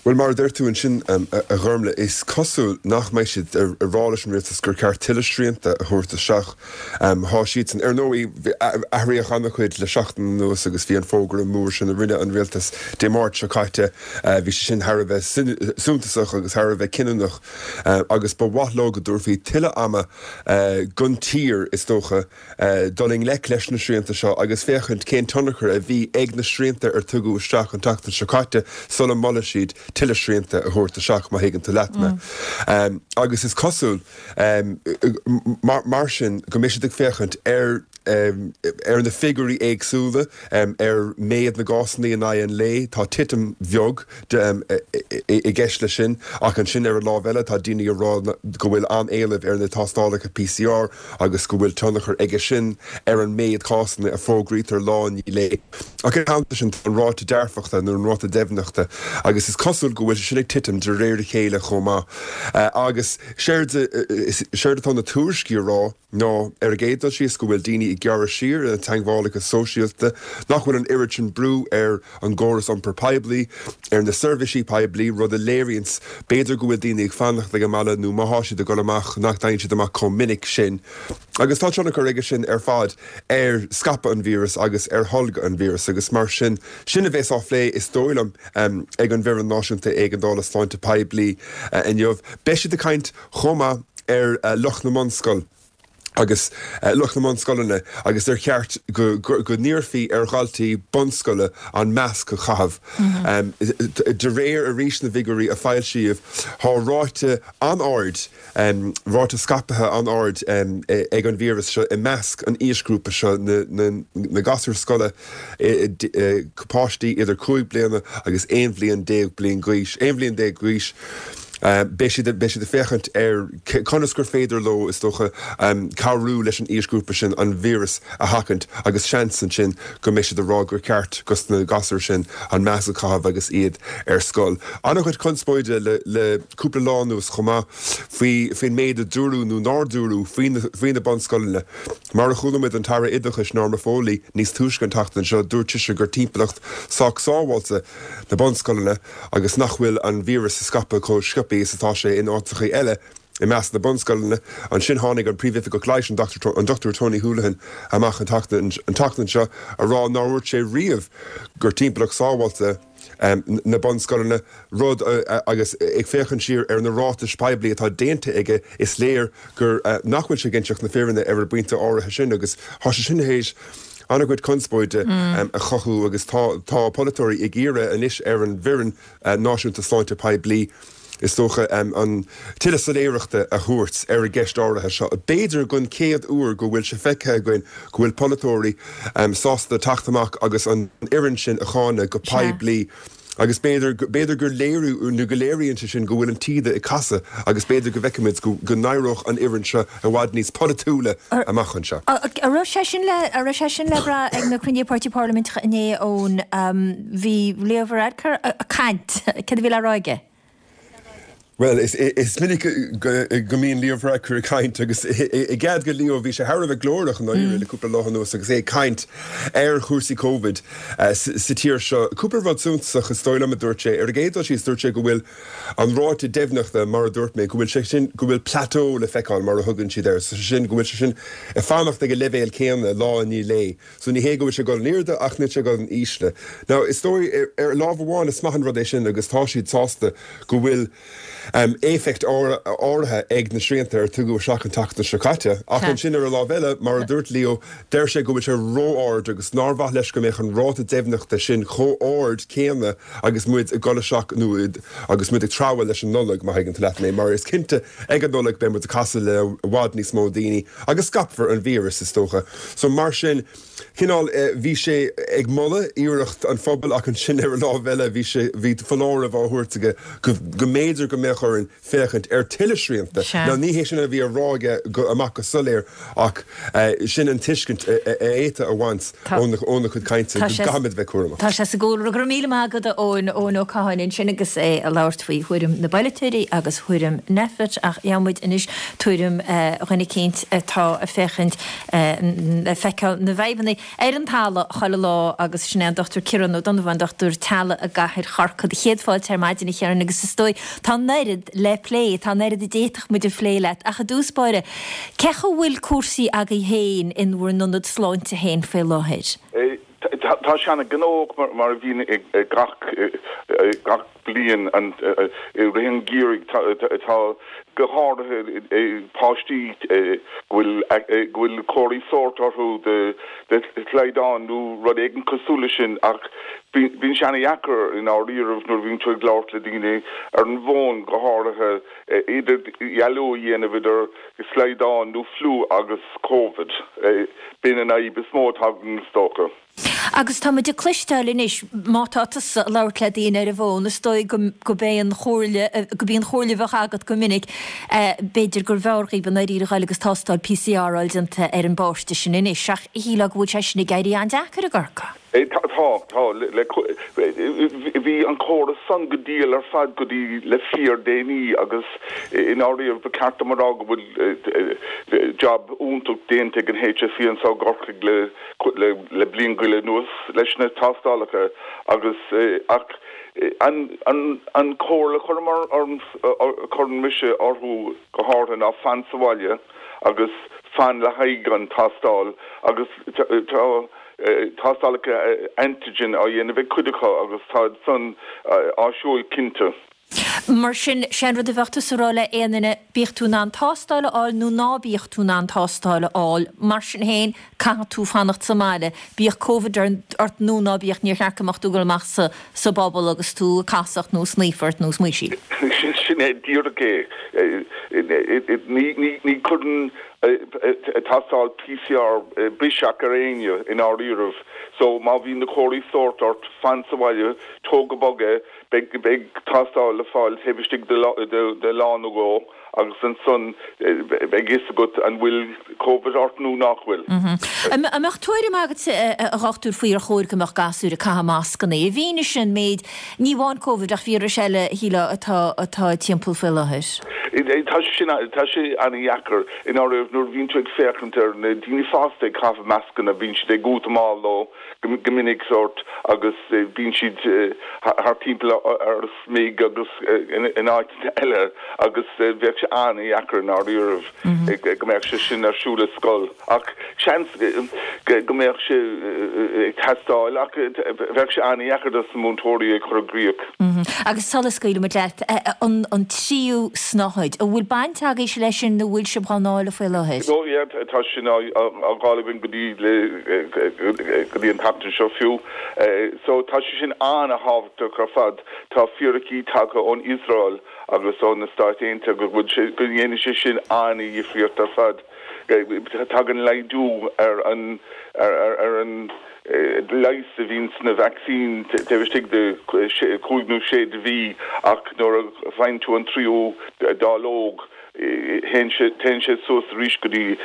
Well mar a deir tú ansin a Ghormlaith is cosúil nach mbeidh siad ag rá leis an rialtas gur ceart tuilleadh srianta a thabhairt isteach. Tá siad san ar ndóigh athraíodh an-chuid le seachtain anuas agus bhí an fógra mór sin a rinne an rialtas Dé Máirt seo caite bhí sé sin thar a bheith suntasach agus thar a bheith cinniúnach agus ba mhaith leo go dtabharfaí tuilleadh ama don tír is dócha dul i ngleic leis na srianta seo agus féachaint cén tionchar a bhí ag na srianta ar tugadh isteach an tseachtain seo caite sula molfaidh siad tuilleadh srianta a thabhairt isteach má thuigeann tú leat mé. Mm. Agus is cosúil mar, mar sin go mbeidh siad ag féachaint ar um, ar na figiúirí éagsúla um, ar méid na gcásanna in aghaidh an lae tá titim bheag um, i gceist leis sin ach ansin ar an lámh eile tá daoine ag rá go bhfuil an-éileamh ar na tástálacha P C R agus go bhfuil tionchar aige sin ar an méid cásanna a fógraítear lá i ndiaidh lae. Ach an sin an ráta dearfachta nó an ráta deimhneachta agus is cosúil go bhfuil sin ag titim de réir a chéile chomh maith. Uh, agus séard atá na tuairiscí ag rá ná ar an gcéad dul síos go bhfuil daoine ag ag gearradh siar ar na teagmhálacha sóisialta, nach bhfuil an oiread sin brú ar an gcóras iompair poiblí, ar na seirbhísí poiblí, rud a léiríonns b'fhéidir go bhfuil daoine ag fanacht ag an mbaile nó má thá siad ag dul amach nach dtéann siad amach chomh minic sin. Agus tá tionchar aige sin ar fad ar scaipeadh an víreas agus ar tholgadh an víreas agus mar sin, sin a bheas á phlé is dóigh liom ag an bhFoireann Náisiúnta Éigeandála Sláinte Poiblí inniu. Beidh siad ag caint chomh maith ar lucht na mbunscol agus lucht na mbunscoileanna agus ar cheart go go n-iarrfaí ar dhaltaí bunscoile an masc a chaitheamh. De réir arís na bhfigiúirí a foilsíodh, tá ráta an-ard, ráta scaipthe an-ard ag an víreas seo i measc an aoisghrúpa seo, na gasúir scoile, páistí idir cúig bliana agus aon bhliain déag bliain d'aois, aon bhliain déag d'aois. Beidh siad beidh siad ag féachaint ar conas gur féidir leo, is dócha, cabhrú leis an aoisghrúpa sin an víreas a sheachaint agus seans ansin go mbeidh siad ag rá gur ceart dos na gasúir sin an masc a chaitheamh agus iad ar scoil. An-chuid conspóide le le cúpla lá anuas chomh maith faoi faoin méid a dúradh nó nár dúradh faoi na faoi na bunscoileanna. Mar a chuala muid an tAire Oideachais Norma Foley níos túisce an tseachtain seo, dúirt sise gur timpeallacht sách sábháilte na bunscoileanna agus nach bhfuil an víreas ag scaipeadh chomh sciobtha is atá sé in áiteacha eile i measc na bunscoileanna. Ansin tháinig an Príomhoifigeach Leighis, an Dochtúir Tony Holohan, amach an tseachtain seo a rá nár dhúirt sé riamh gur timpeallacht sábháilte na bunscoileanna, rud agus ag féachaint siar ar na ráitis poiblí atá déanta aige is léir gur nach bhfuil sé ag inseacht na fírinne ar an bpointe áirithe sin agus tá sé sin théis an-chuid conspóide a chothú agus tá tá polaiteoirí ag iarraidh anois ar an bhFoireann Náisiúnta Sláinte Poiblí, is dócha, an tuilleadh soiléireachta a thabhairt ar an gceist áirithe seo. B'fhéidir don chéad uair go bhfuil sé feicthe againn go bhfuil polaiteoirí sásta teacht amach agus an fhoireann sin a cháineadh go poiblí agus b'fhéidir b'fhéidir gur léiriú nó go léiríonn sé sin go bhfuil an taoide ag casadh agus b'fhéidir go bhfeicfimid go go n-éireoidh an fhoireann seo i bhfad níos polaitiúla amach anseo. An raibh sé sin le an raibh sé sin le brath ag na cruinnithe páirtí parlaiminteacha inné ón bhí Leo Varadkar ag caint. Céard a bhí le rá aige? Bhuel, is minic go mbíonn Leo Varadkar ag caint agus i gcead do Leo, bhí sé thar a bheith glórach i ndáiríre le cúpla lá anuas agus é ag caint ar chúrsaí Covid sa tír seo. Cúpla rud suntasach is dóigh liom a dúirt sé. Ar an gcéad dul síos, dúirt sé go bhfuil an ráta deimhneachta, mar a dúirt mé, go bhfuil sé sin, go bhfuil plateau le feiceáil mar a thugann siad air, sé sin go bhfuil sé sin ag fanacht ag an leibhéal céanna lá i ndiaidh lae. So ní hé go bhfuil sé ag dul in airde ach níl sé ag dul in ísle. Now is dóigh ar lámh amháin is maith an rud é sin agus tá siad sásta go bhfuil éifeacht áirithe ag na srianta ar tugadh isteach an tseachtain seo caite. Ach ansin ar an lámh eile, mar a dúirt Leo, deir sé go bhfuil sé ró-ard agus nár mhaith leis go mbeadh an ráta deimhneachta sin chomh ard céanna agus muid ag dul isteach nó agus muid ag treabhadh leis an Nollaig, má thuigeann tú leat mé, mar is cinnte ag an Nollaig beidh muid ag casadh le i bhfad níos mó daoine agus scaipfear an víreas, is dócha. So mar sin, cineál, bhí sé ag moladh iarracht an phobail ach ansin ar an lámh eile bhí sé, bhí foláireamh á thabhairt aige go, go mb'fhéidir go mbeadh orainn féachaint ar tuilleadh srianta. Now ní hé sin a bhí á rá aige go, amach go soiléir ach sin an tuiscint a, a fhéadfá a bhaint óna, óna chuid cainte, go gcaithfimid a bheith cúramach. Tá sé sa gcúlra. Go raibh míle maith agat a Eoin, Eoin Ó Catháin ansin agus é ag labhairt faoi thuairim na bpolaiteoirí agus thuairim Nphet ach gheobhaidh muid anois tuairim dhuine eicínt atá ag féachaint le feiceáil na bhfadhbanna ar an talamh chuile lá agus sin é an Dochtúir Ciarán Ó Donnabháin, dochtúir teaghlaigh i gcathair Chorcaí. Céad fáilte ar maidin a Chiaráin agus is dóigh tá an oiread le plé, tá an oiread a d'fhéadfadh muid a phlé leat ach i dtús báire, cén chaoi a bhfuil cúrsaí agaibh féin in bhur n-ionad sláinte féin faoi láthair? Tá sé an-ghnóthach mar a bhíonn gach bliain i rith an gheimhridh. Tá go háirithe páistí go bhfuil go bhfuil comharthaí sóirt orthu de shlaghdán nó rud éigin cosúil leis sin ach bíonn sé an-dheacair i ndáiríribh nuair a bhíonn tú ag labhairt le daoine ar an bhfón go háirithe idirdhealú a dhéanamh idir slaghdán nó fliú agus Covid. B'in an fhadhb is mó atá againn is dócha. Agus tá muid ag cloisteáil anois, má tá tusa ag labhairt le daoine ar an bhfón, is dóigh go gurb é an chomhairle, gurb í an chomhairle a bheadh agat go minic, b'fhéidir gurbh fhearr dhaoibh i ndáiríre a ghoil agus tástáil PCR a fháil déanta ar an bpáiste sin anois. Ach shílfeá go bhfuil sé sin ag éirí an-deacair i gCorcaigh. Tá, tá, bhí an córas san go diail ar fad go dtí le fíordhéanaí agus i ndáiríre ba cheart dom a rá go bhfuil job iontach déanta ag an H S E anseo i gCorcaigh le le le bliain go leith anuas leis na tástálacha agus ach an an an chomhairle a chuirim cuireann mise orthu go háirithe ná fan sa bhaile agus fan le haghaidh an tástáil agus tá tástálacha antigen á dhéanamh ag cuid acu agus tá san áisiúil cinnte. Mar sin sé an rud a bheadh tusa a rá le aon duine, bíodh tú in ann tástáil a fháil nó ná bíodh tú in ann tástáil a fháil, mar sin féin caithfidh tú fanacht sa mbaile, bíodh Covid ort nó ná bíodh, níor cheart go mbeadh tú ag dul amach sa sa bpobal agus tú ag casacht nó sníofa ort nó smaoisíl. Sin é díreach é. Ní ní chuireann tástáil P C R biseach ar éinne i ndáiríribh. So má bhíonn na comharthaí sóirt ort, fan sa bhaile, tóg go bog é, beidh beidh tástáil le fáil taobh istigh de de lá nó dhó agus ansan beidh fhios agat an bhfuil Covid ort nó nach bhfuil. An mbeadh tuairim agat a dhochtúir faoi ar chóir go mbeadh gasúir ag caitheamh mascanna i bhfianaise an méid ní amháin Covid ach víreas eile shílfeá atá atá timpeall faoi láthair? Tá sé sin tá sé an-dheacair i ndáiríre nuair a bhíonn tú ag féachaint ar na daoine fásta ag caitheamh mascanna, bíonn siad ag útamáil leo go minic sórt agus bíonn siad thar timpeall ar a smig agus in áit eile agus bheadh sé an-dheacair i ndáiríribh go mbeadh sé sin ar siúl i scoil ach seans go mbeadh sé ag teastáil ach bheadh sé an-dheacair dos na múinteoirí ag chur i gcrích. Agus sula scaoilimid leat an an tríú snáthaid, an bhfuil baint agaibhse leis sin nó bhfuil sibh á ndáileadh faoi láthair? No yeah tá sin á dháileadh againn go dtí le go dtí an tseachtain seo fiú. So tá sé sin an-thábhachtach ar fad. Tá fíricí tagtha ón Iosrael agus ó na Stáit Aontaithe go bhfuil sé go ndéanann sé sin an-dhifríocht ar fad. Tagann laghdú ar an ar ar an leigheas a bhíonn sna vaccine taobh istigh de cúig nó sé de mhí ach nuair a faigheann tú an tríú dáileog téann sé téann sé suas arís go dtí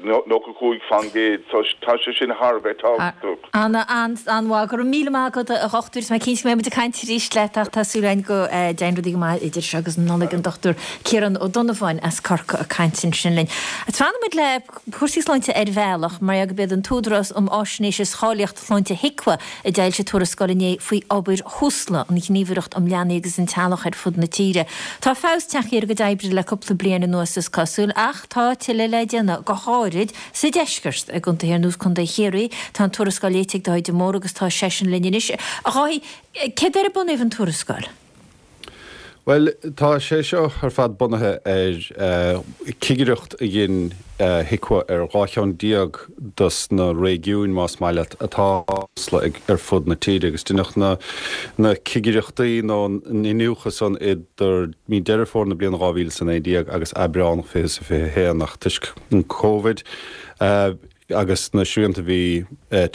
nócha cúig faoin gcéad, so tá sé sin thar a bheith tábhachtach. Ana an-mhaith, go raibh míle maith agat a dhochtúir, is mé cinnte go mbeidh muid ag caint arís leat ach tá súil againn go dtéann rudaí go maith idir seo agus an Nollaig, an Dochtúir Ciarán Ó Donnabháin as Corcaigh ag caint ansin linn. Fanfaidh muid le cúrsaí sláinte ar bhealach mar gurb iad an tÚdarás um Fháisnéis is Cháilíocht Sláinte HIQA a d'fhoilsigh tuarascáil inné faoi obair Thúsla, an Ghníomhaireacht um Leanaí agus an Teaghlach ar fud na tíre. Tá feabhas tagtha ar a gcuid oibre le cúpla bliain anuas is cosúil ach tá tuilleadh le déanamh go háirid sa deisceart i gcontaetha ar nós Contae Chiarraí. Tá an tuarascáil léite ag Dáithí de Mórdha agus tá seisean linn anois. A Dháithí, céard ar ar bunaíodh an tuarascáil? Well, tá sé seo ar fad bunaithe ar cigireacht a dhein HIQA ar dhá cheann déag dos na réigiúin más maith leat atá ar fud na tíre agus deineadh na na cigireachtaí nó an iniúchadh san idir mí Deireadh Fómhair na bliana dhá mhíle is a naoi déag agus Aibreán fiche is a fiche haon ach toisc an Covid agus na srianta a bhí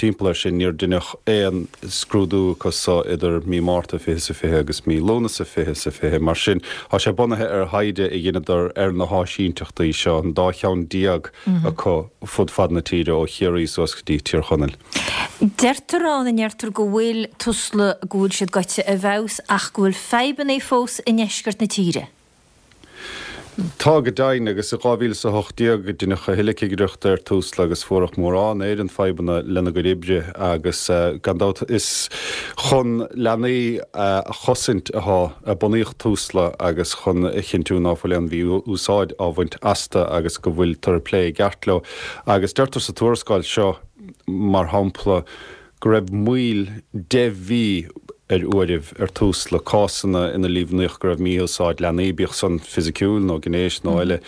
timpeall air sin níor deineadh aon scrúdú acu so idir mí Márta fiche is a fiche agus mí Lúnasa fiche is a fiche. Mar sin tá sé bunaithe ar thaighde a dheineadar ar na háisínteachtaí seo, an dá cheann déag acu fud fad na tíre ó Chiarraí suas go dtí Tír Chonaill. Deirtear ann a ndeirtear go bhfuil Tusla go bhfuil siad gaibhte i bhfeabhas ach go bhfuil fadhbanna fós i ndeisceart na tíre. Tá go deimhin agus i dhá mhíle is a hocht déag deineadh a thuilleadh cigireachta ar Tusla agus fuaireadh mórán ar an fadhbanna lena gcuid oibre agus gan dabht is chun leanaí a chosaint atá a bunaíodh Tusla agus chun a chinntiú ná fuil aon mhí-úsáid á bhaint astu agus go bhfuiltear ag plé i gceart leo. Agus deirtear sa tuarascáil seo mar shampla go raibh moill deich mhí ar uairibh ar Tusla cásanna ina líomhnaíodh go raibh mí-úsáid leanaí, bíodh san fisiciúil nó gnéis nó eile.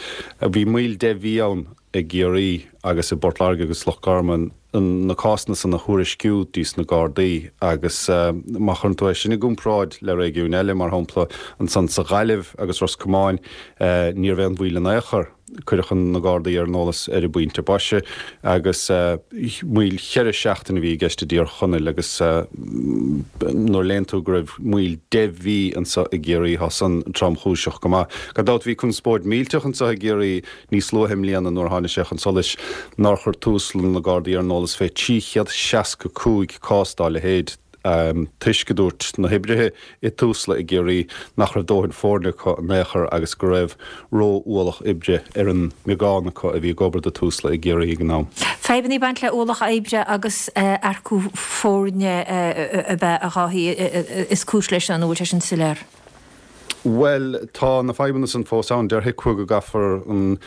Bhí moill deich mhí ann i gCiarraí agus i bPort Láirge agus Loch Garman na cásanna san a thuairisciú dtís na Gardaí agus má chuireann tú é sin i gcomparáid le réigiúin eile, mar shampla ansan sa Ghaillimh agus Ros Comáin, ní raibh aon mhoill in aon chor. Cuireadh na Gardaí ar an eolas ar an bpointe boise agus moill cheithre seachtaine a bhí i gceist i dTír Chonaill agus nuair a léann tú go raibh moill deich mhí anseo i gCiarraí tá san tromchúiseach go maith. Gan dabht bhí conspóid millteach anseo i gCiarraí níos luaithe i mbliana nuair a tháinig sé chun solais nár chuir Tusla na Gardaí ar an eolas fé trí chéad seasca cúig cás dá leithéid. toisc go dúirt na hoibrithe i Tusla i gCiarraí nach raibh dóthain foirne acu in aon chor agus go raibh ró-ualach oibre ar an mbeagán acu a bhí ag obair do Tusla i gCiarraí ag an am. Fadhbanna ag baint le ualach oibre agus earcú foirne ab ea, a Dháithí, is cúis leis an bhfuil sé sin soiléir? Bhuel, tá na fadhbanna san fós ann. Deir HIQA go gcaithfear an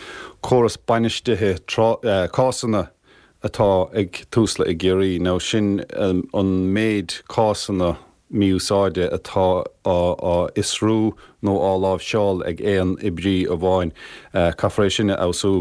córas bainistithe cásanna atá ag Tusla i gCiarraí, nó sin an méid cásanna mí-úsáide atá á fhiosrú nó á láimhseáil ag aon oibrí amháin. Caithfear é sin a fheabhsú.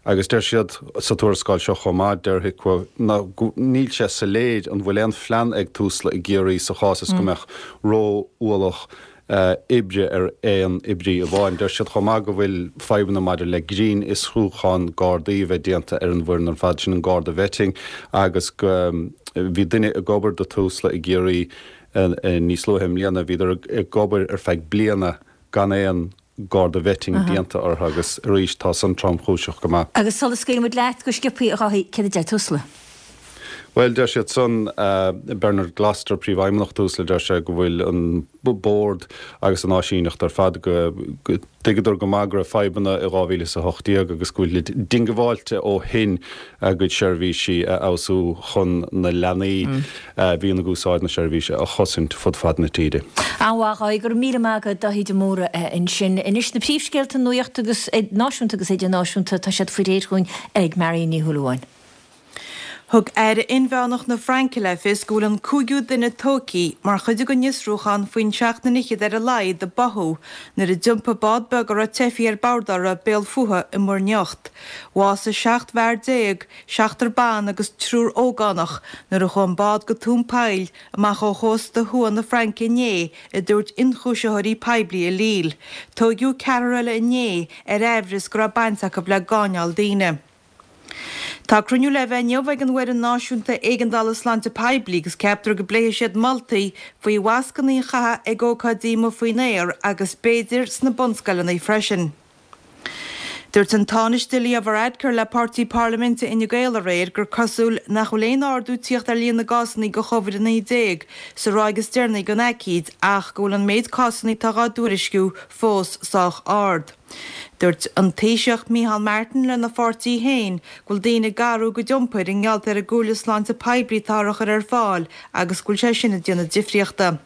Agus deir siad sa tuarascáil seo chomh maith, deir HIQA, níl sé soiléir an bhfuil aon phlean ag Tusla i gCiarraí sa chás is go mbeadh ró-ualach oibre ar aon oibrí amháin. Deir siad chomh maith go bhfuil fadhbanna maidir le grinnfhiosrúchán Gardaí a bheith déanta ar an bhfoireann ar fad, sin an Garda Vetting, agus go bhí duine ag obair do Tusla i gCiarraí níos luaithe i mbliana, bhíodar ag obair ar feadh bliana gan aon Garda Vetting déanta orthu agus arís tá san tromchúiseach go maith. Agus sula scaoilimid leat go sciobtha, a Dháithí, céard a deir Tusla? Bhuel, deir siad san, Bernard Gloster, Príomhfheidhmeannach Tusla, deir sé go bhfuil an Bord agus an áisíneacht ar fad go dtuigeadar go maith go raibh fadhbanna i dhá mhíle is a hocht déag agus go bhfuilid diongbháilte ó shin a gcuid seirbhísí a fheabhsú chun na leanaí a bhíonn ag úsáid na seirbhíse a chosaint fud fad na tíre. An-mhaith, a Dháithí, go raibh míle maith agat, Dáithí de Mórdha ansin. Anois na príomhscéalta nuachta agus náisiúnta agus idirnáisiúnta, tá siad faoi réir dhúinn ag Marion Ní Shúilleabháin. Thug Aire Inmheánach na Fraince le fios go bhfuil an cúigiú duine tógtha mar chuid den fhiosrúchán faoin seacht nduine fhichead ar a laghad a báthadh nuair a d'iompaigh bád beag a raibh teifigh ar bord uirthi béal fúthu i Muir nIocht. Bhásaigh seacht bhfear déag, seachtar ban agus triúr ógánach nuair a chuaigh an bád go tóin poill amach ó chósta thuaidh na Fraince inné, a dúirt ionchúisitheoirí poiblí i Lille. Tóigeadh ceathrar eile inné ar aimhreas go raibh baint acu le gáinneáil daoine. Tá cruinniú le bheith inniu ag an bhFoireann Náisiúnta Éigeandála Sláinte Poiblí agus ceaptar go bpléifidh siad moltaí faoi mhascanna a chaitheamh ag ócáidí amuigh faoin aer agus b'fhéidir sna bunscoileanna freisin. Dúirt an Tánaiste Leo Varadkar le páirtí parlaiminte Fhine Gael aréir gur cosúil nach bhfuil aon ardú tíocht ar líon na gcásanna de Chovid a naoi déag sa ráig is deireanaí den aicíd ach go bhfuil an méid cásanna atá dhá dtuairisciú fós sách ard. Dúirt an Taoiseach Micheál Martin lena pháirtí féin go bhfuil daoine ag athrú a gcuid iompair i ngeall ar an gcomhairle sláinte poiblí atáthar a chur ar fáil agus go bhfuil sé sin ag déanamh difríochta.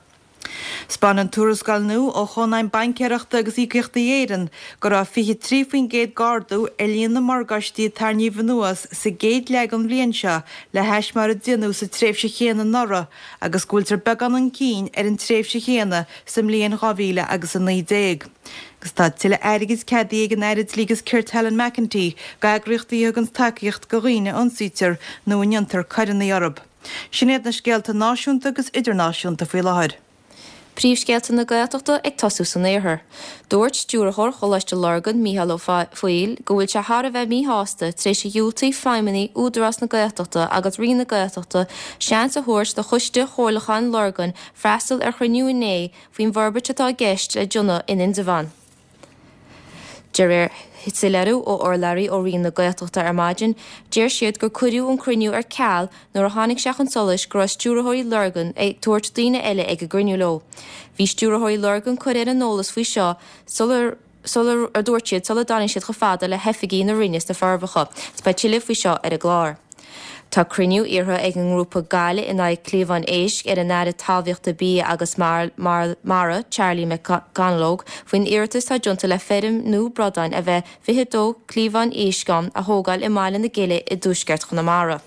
'Spáineann tuarascáil nua ó Chónaidhm Baincéireachta agus Íocaíochtaí Éireann go raibh fiche trí faoin gcéad d'ardú ar líon na morgáistí a tarraingíodh anuas sa gcéad leath den bhliain seo le hais mar a déanadh sa tréimhse chéanna anuraidh agus go bhfuiltear beagán chun cinn ar an tréimhse chéanna sa mbliain dhá mhíle agus a naoi déag. Agus tá tuilleadh airgid ceadaithe ag an Aire Dlí agus Cirt Helen McEntee d'eagraíochtaí a thugann tacaíocht do dhaoine a ionsaítear nó a ndéantar coireanna orthu. Sin iad na scéalta náisiúnta agus idirnáisiúnta faoi láthair. Príomhscéalta na Gaeltachta ag tosú san Iarthar. Dúirt Stiúrthóir Choláiste Lurgan, Mícheál Ó Foighil, go bhfuil sé thar a bheith míshásta tar éis a dhiúltaigh feidhmeannaigh Údarás na Gaeltachta agus Roinn na Gaeltachta seans a thabhairt do Choiste Chomhairliúcháin Lurgan freastal ar chruinniú inné faoin bhforbairt atá i gceist le déanamh in Indreabhán. De réir soiléiriú ó urlabhraí ó Roinn na Gaeltachta ar maidin, deir siad gur cuireadh an cruinniú ar ceal nuair a tháinig sé chun solais go raibh stiúrthóirí Lurgan ag tabhairt daoine eile ag an gcruinniú leo. Bhí stiúrthóirí Lurgan curtha ar an eolas faoi seo sular sular, a dúirt siad, sula dtáinig siad chomh fada le hoifigí na Roinne sna Forbacha. Beidh tuilleadh faoi seo ar an gclár. Tá cruinniú iarrtha ag an ngrúpa Gaillimh in aghaidh Cliabhán Éisc ar an Aire Talmhaíochta, Bia agus Mara, Charlie McConalogue, faoin iarratas atá déanta le feirm nua bradán a mbeidh fiche a dó cliabhán éisc ann a thógáil i mBaile na Gile i dtuaisceart Chonamara.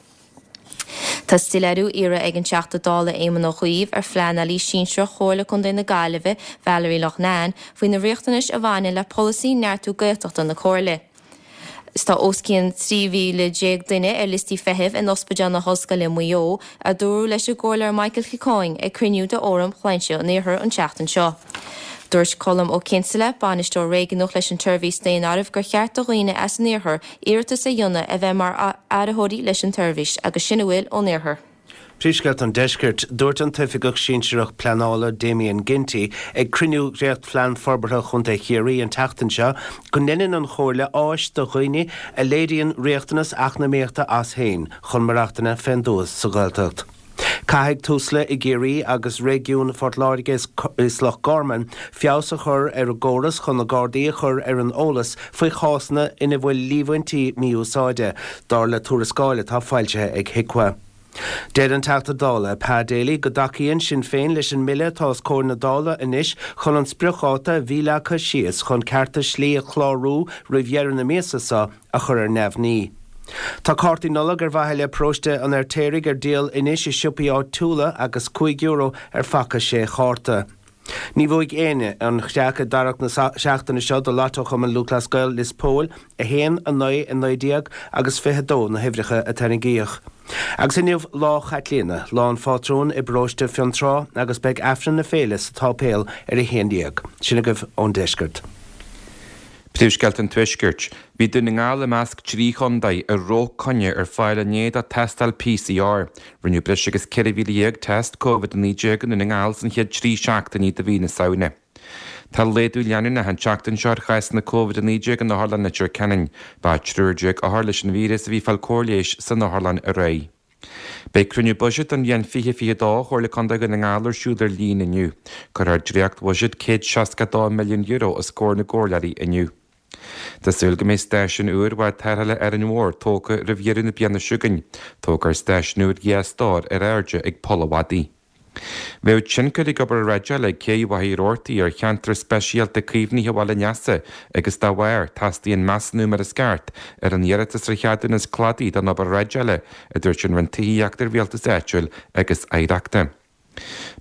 Tá soiléiriú iarrtha ag an Teachta Dála Éamon Ó Cuív ar phleanálaí sinsearach Chomhairle Contae na Gaillimhe, Valerie Loughnane, faoi na riachtanais a bhaineann le polasaí neartú Gaeltachta na Comhairle. Tá os cionn trí mhíle déag duine ar liostaí feithimh in Ospidéal na hOllscoile Maigh Eo, a dúradh leis an gComhairleoir Michael Kilcoyne ag cruinniú de Fhóram Shláinte an Iarthair an tseachtain seo. Dúirt Colm Ó Cinnseala, bainisteoir réigiúnach leis an tseirbhís daonáirimh gur cheart do dhaoine as an iarthar iarratas a dhéanamh a bheith mar áiritheoirí leis an tseirbhís agus sin a bhfuil ón iarthar. Príomhscéalta an Deiscirt, Dúirt an tOifigeach Sinsearach Pleanála Damien Ginty ag cruinniú Dhréachtphlean Forbartha Chontae Chiarraí an tseachtain seo go ndeineann an Chomhairle áis do dhaoine a léiríonn riachtanas eacnamaíochta as féin chun maireachtaint fén dtuath sa Ghaeltacht. Caithfidh Tusla i gCiarraí agus Réigiún Phort Láirge is Loch Garman feabhas a chur ar a gcóras chun na Gardaí a chur ar an eolas faoi chásanna ina bhfuil líomhaintí mí-úsáide, dar le tuarascáil atá foilsithe ag HIQA. Deir an Teachta Dála, Pa Daly, go dtacaíonn Sinn Féin leis an mbille atá os comhair na Dála anois chun an spriocdháta a bhí leagtha síos chun cearta slí a chlárú roimh dheireadh na míosa seo a chur ar neamhní. Tá cártaí Nollag ar mhaithe le Paróiste an Fheirtéaraigh ar díol anois i siopaí áitiúla agus cúig euro ar phaca sé chárta. Ní bhuaigh éinne an chreach i dtarrac na seachtaine seo do Lotto Chumann Lúthchleas Gael Lios Póil, a haon, a naoi, a naoi déag agus fiche a dó na huimhreacha a tarraingíodh. Agus inniu Lá Chaitlíona, lá an phátrúin i bparóiste Fionntrá agus beidh Aifreann na féile sa tsáipéal ar a haon déag. Sin agaibh ón deisceart. Príomhscéalta an Tuaiscirt. Bhí Dún na nGall i measc trí chontae a raibh coinne ar fáil inné do tástáil PCR. Rinneadh breis agus ceithre mhíle dhéag test Covid a naoi déag i nDún na nGall san chéad trí seachtainí de mhí na Samhna. Tá laghdú leanúnach an tseachtain seo ar chásanna Covid a naoi déag in Otharlann Leitir Ceanainn. Ba triúr déag othar leis an víreas a bhí ag fáil cóir leighis san otharlann aréir. Beidh cruinniú buiséid don bhliain fiche fiche a dó Chomhairle Contae Dhún na nGall ar siúl ar líne inniu. Cuirfear dréacht-bhuiséad céad seasca a dó milliún euro os comhair na gcomhairleoirí inniu. Tá súil go mbeidh stáisiún úr bhád tarrthála Árainn Mhór tógtha roimh dheireadh na bliana seo chugainn. Tógfar stáisiún úr dhá stór ar airde ag Poll a' Mhadaidh. Bheadh tionchar ag obair dreideála ag Cé Mhachaire Rabhartaigh ar cheantar speisialta caomhnaithe Bhaile an Easa agus dá bharr, teastaíonn measúnú mar is ceart ar an iarratas ar cheadúnas cladaigh don obair dhreideála, a dúirt an Roinn Tithíochta, Rialtais Áitiúil agus Oidhreachta.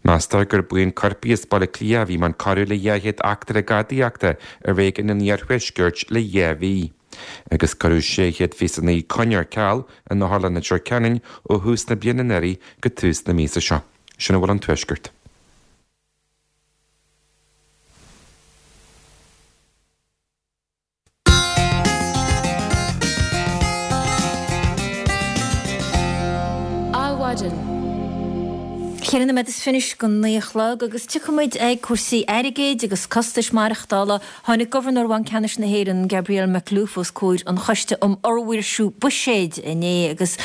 Meastar gur buíon coirpigh as Baile Átha Cliath a bhí i mbun corradh le dhá chéad eachtra gadaíochta i réigiún an iarthuaiscirt le dhá mhí. Agus cuireadh sé chéad fiche a naoi coinne ar ceal in Otharlann Leitir Ceanainn ó thús na bliana anuraidh go tús na míosa seo. Sin a bhfuil ón Tuaisceart. Adhmhaidin. Ceithre nóiméad is fiche go naoi a chlog agus tiocfaidh muid ag cúrsaí airgid agus costais maireachtála. Tháinig Gobharnóir Bhanc Ceannais na hÉireann, Gabriel Makhlouf, os comhair an Choiste um Fhormhaoirsiú Buiséid inné agus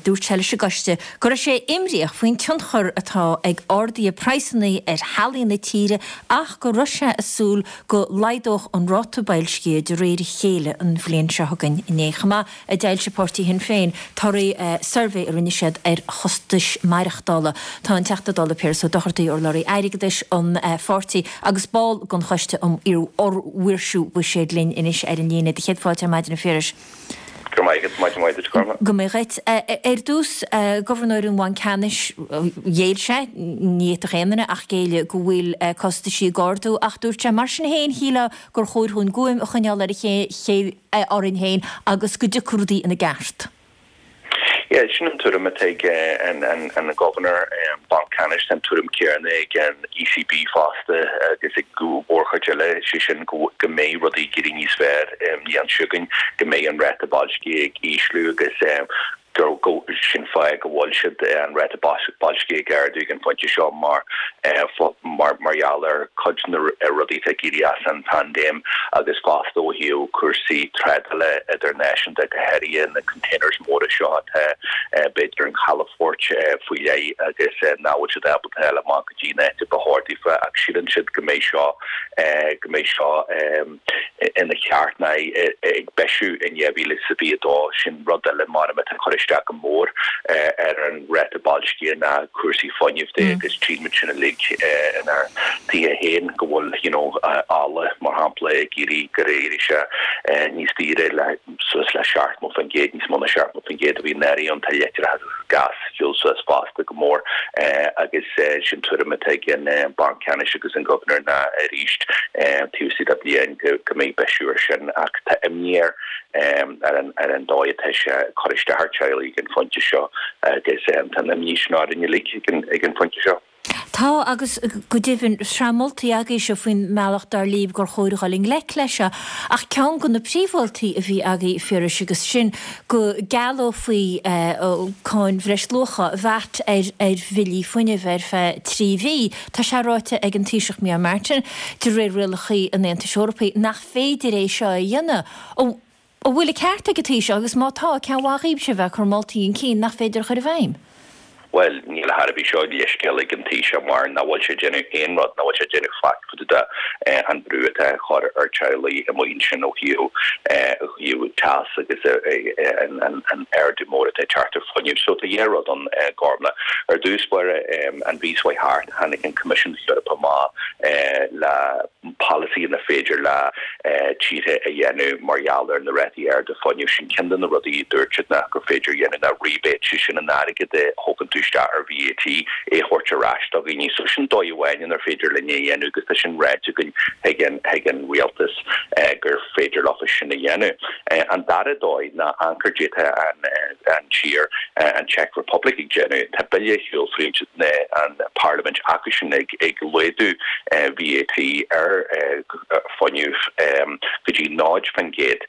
dúirt sé leis an gcoiste go raibh sé imníoch faoin tionchar atá ag arduithe praghsanna ar theaghlaigh na tíre ach go raibh sé ag súil go laghdódh an ráta boilscithe de réir a chéile an bhliain seo chugainn. Inné chomh maith a d'fhoilsigh páirtí Shinn Féin torthaí suirbhé a rinne siad ar chostais maireachtála. Tá an Teachta Dála Piaras Ó Dochartaigh, urlabhraí airgeadais an pháirtí agus ball den Choiste um Fhormhaoirsiú Buiséid linn anois ar an líne. Do chéad fáilte ar maidin a Phiarais. Go raibh maith agat, maidin mhaith duit, Gormfhlaith. Go mbeidh dhuit. Ar dtús, Gobharnóir an Bhainc Ceannais, ghéill sé, ní fhéadfadh aon duine ach géilleadh, go bhfuil costaisí ag ardú ach dúirt sé mar sin féin, shílfeá gur chóir dhúinn guaim a choinneáil ar a chéile, orainn féin agus go dtiocfaidh rudaí ina gceart. Yeah, sin an tuairim atá ag an Gobharnóir Banc Ceannais, tá an tuairim céanna ag an ECB fosta agus ag mórchuid eile, sé sin go mbeidh rudaí ag éirí níos fearr an bhliain seo chugainn, go mbeidh an ráta boilscithe ag ísliú agus gur sin fáth go bhfuil siad an ráta boilscithe ag ardú ag an phointe seo mar mar gheall ar cuid de na rudaí atá ag éirí as an bpaindéim agus fosta ó thaobh cúrsaí trádála idirnáisiúnta, go háirithe na containers móra seo atá b'fhéidir in calafoirt faoi leith agus nach bhfuil siad ábalta a fháil amach go dtí an áit a ba chóir daofa ach síleann siad go mbeidh seo go mbeidh seo ina cheart nó ag bisiú in dhá mhíle is a fiche a dó. Sin rud eile measaim atá ag cur isteach go mór ar an ráta boilscithe ná cúrsaí fuinnimh de agus tchímid sin uilig inár dtithe féin go bhfuil you know ola mar shampla ag éirí gur éirigh sé níos daoire le suas le seachtó faoin gcéad, níos mó ná seachtó faoin gcéad a bhí anuraidh ann. Tá leictreachas agus gás ag dul suas fosta go mór agus sin tuairim atá ag an Banc Ceannais agus an Gobharnóir ná arís taobh istigh de bhliain go mbeidh bisiú ar sin ach tá imní air ar an dóigh atá sé ag cur isteach ar teaghlaigh ag an phointe seo agus tá an imní sin orainn uilig ag an phointe seo. Tá agus go deimhin sraith moltaí agaibhse faoin mbealach dar libh gur chóir a dhul i ngleic leis seo ach ceann de na príomh-mholtaí a bhí agaibh a Phiarais agus sin go gcealófaí cáin bhreisluacha, VAT, ar ar bhillí fuinnimh ar feadh trí mhí. Tá sé ráite ag an Taoiseach Micheál Martin, de réir rialacha an Aontais Eorpaigh, nach féidir é seo a dhéanamh. An bhfuil an ceart ag an Taoiseach agus má tá, cén mhaith dhaoibhse a bheith ag cur moltaí chun cinn nach féidir a chur i bhfeidhm? Bhuel, níl a dhath ar bith seo leithscéal ag an Taoiseach mar nach bhfuil sé ag déanamh aon rud, nach bhfuil sé ag déanamh faic fá dtaobh de an brú atá á chur ar teaghlaigh amuigh ansin ó thaobh ó thaobh teas agus an ardú mór atá ag teacht ar fuinneamh. So tá dhá rud ann, Gormlaith. Ar dtús báire, an mhí seo thart, tháinig an Coimisiún Eorpach amach le polasaí inar féidir le tíortha a dhéanamh mar gheall ar na rátaí arda fuinnimh. Sin ceann de na rudaí a dúirt siad ná gur féidir a dhéanamh ná rebate, sé sin an airgead a thógann tú isteach ar VAT, é a thabhairt ar ais do dhaoine. So sin dóigh amháin inar féidir linn é a dhéanamh agus tá sin ráite againn chuig an chuig an rialtas gur féidir leofa sin a dhéanamh. An dara dóigh ná amharc caidé atá an an tír, an Czech Republic ag déanamh. Tá bille ar shiúl fríd an Parlaimint acu sin ag ag laghdú VAT ar fuinneamh go dtí náid faoin gcéad.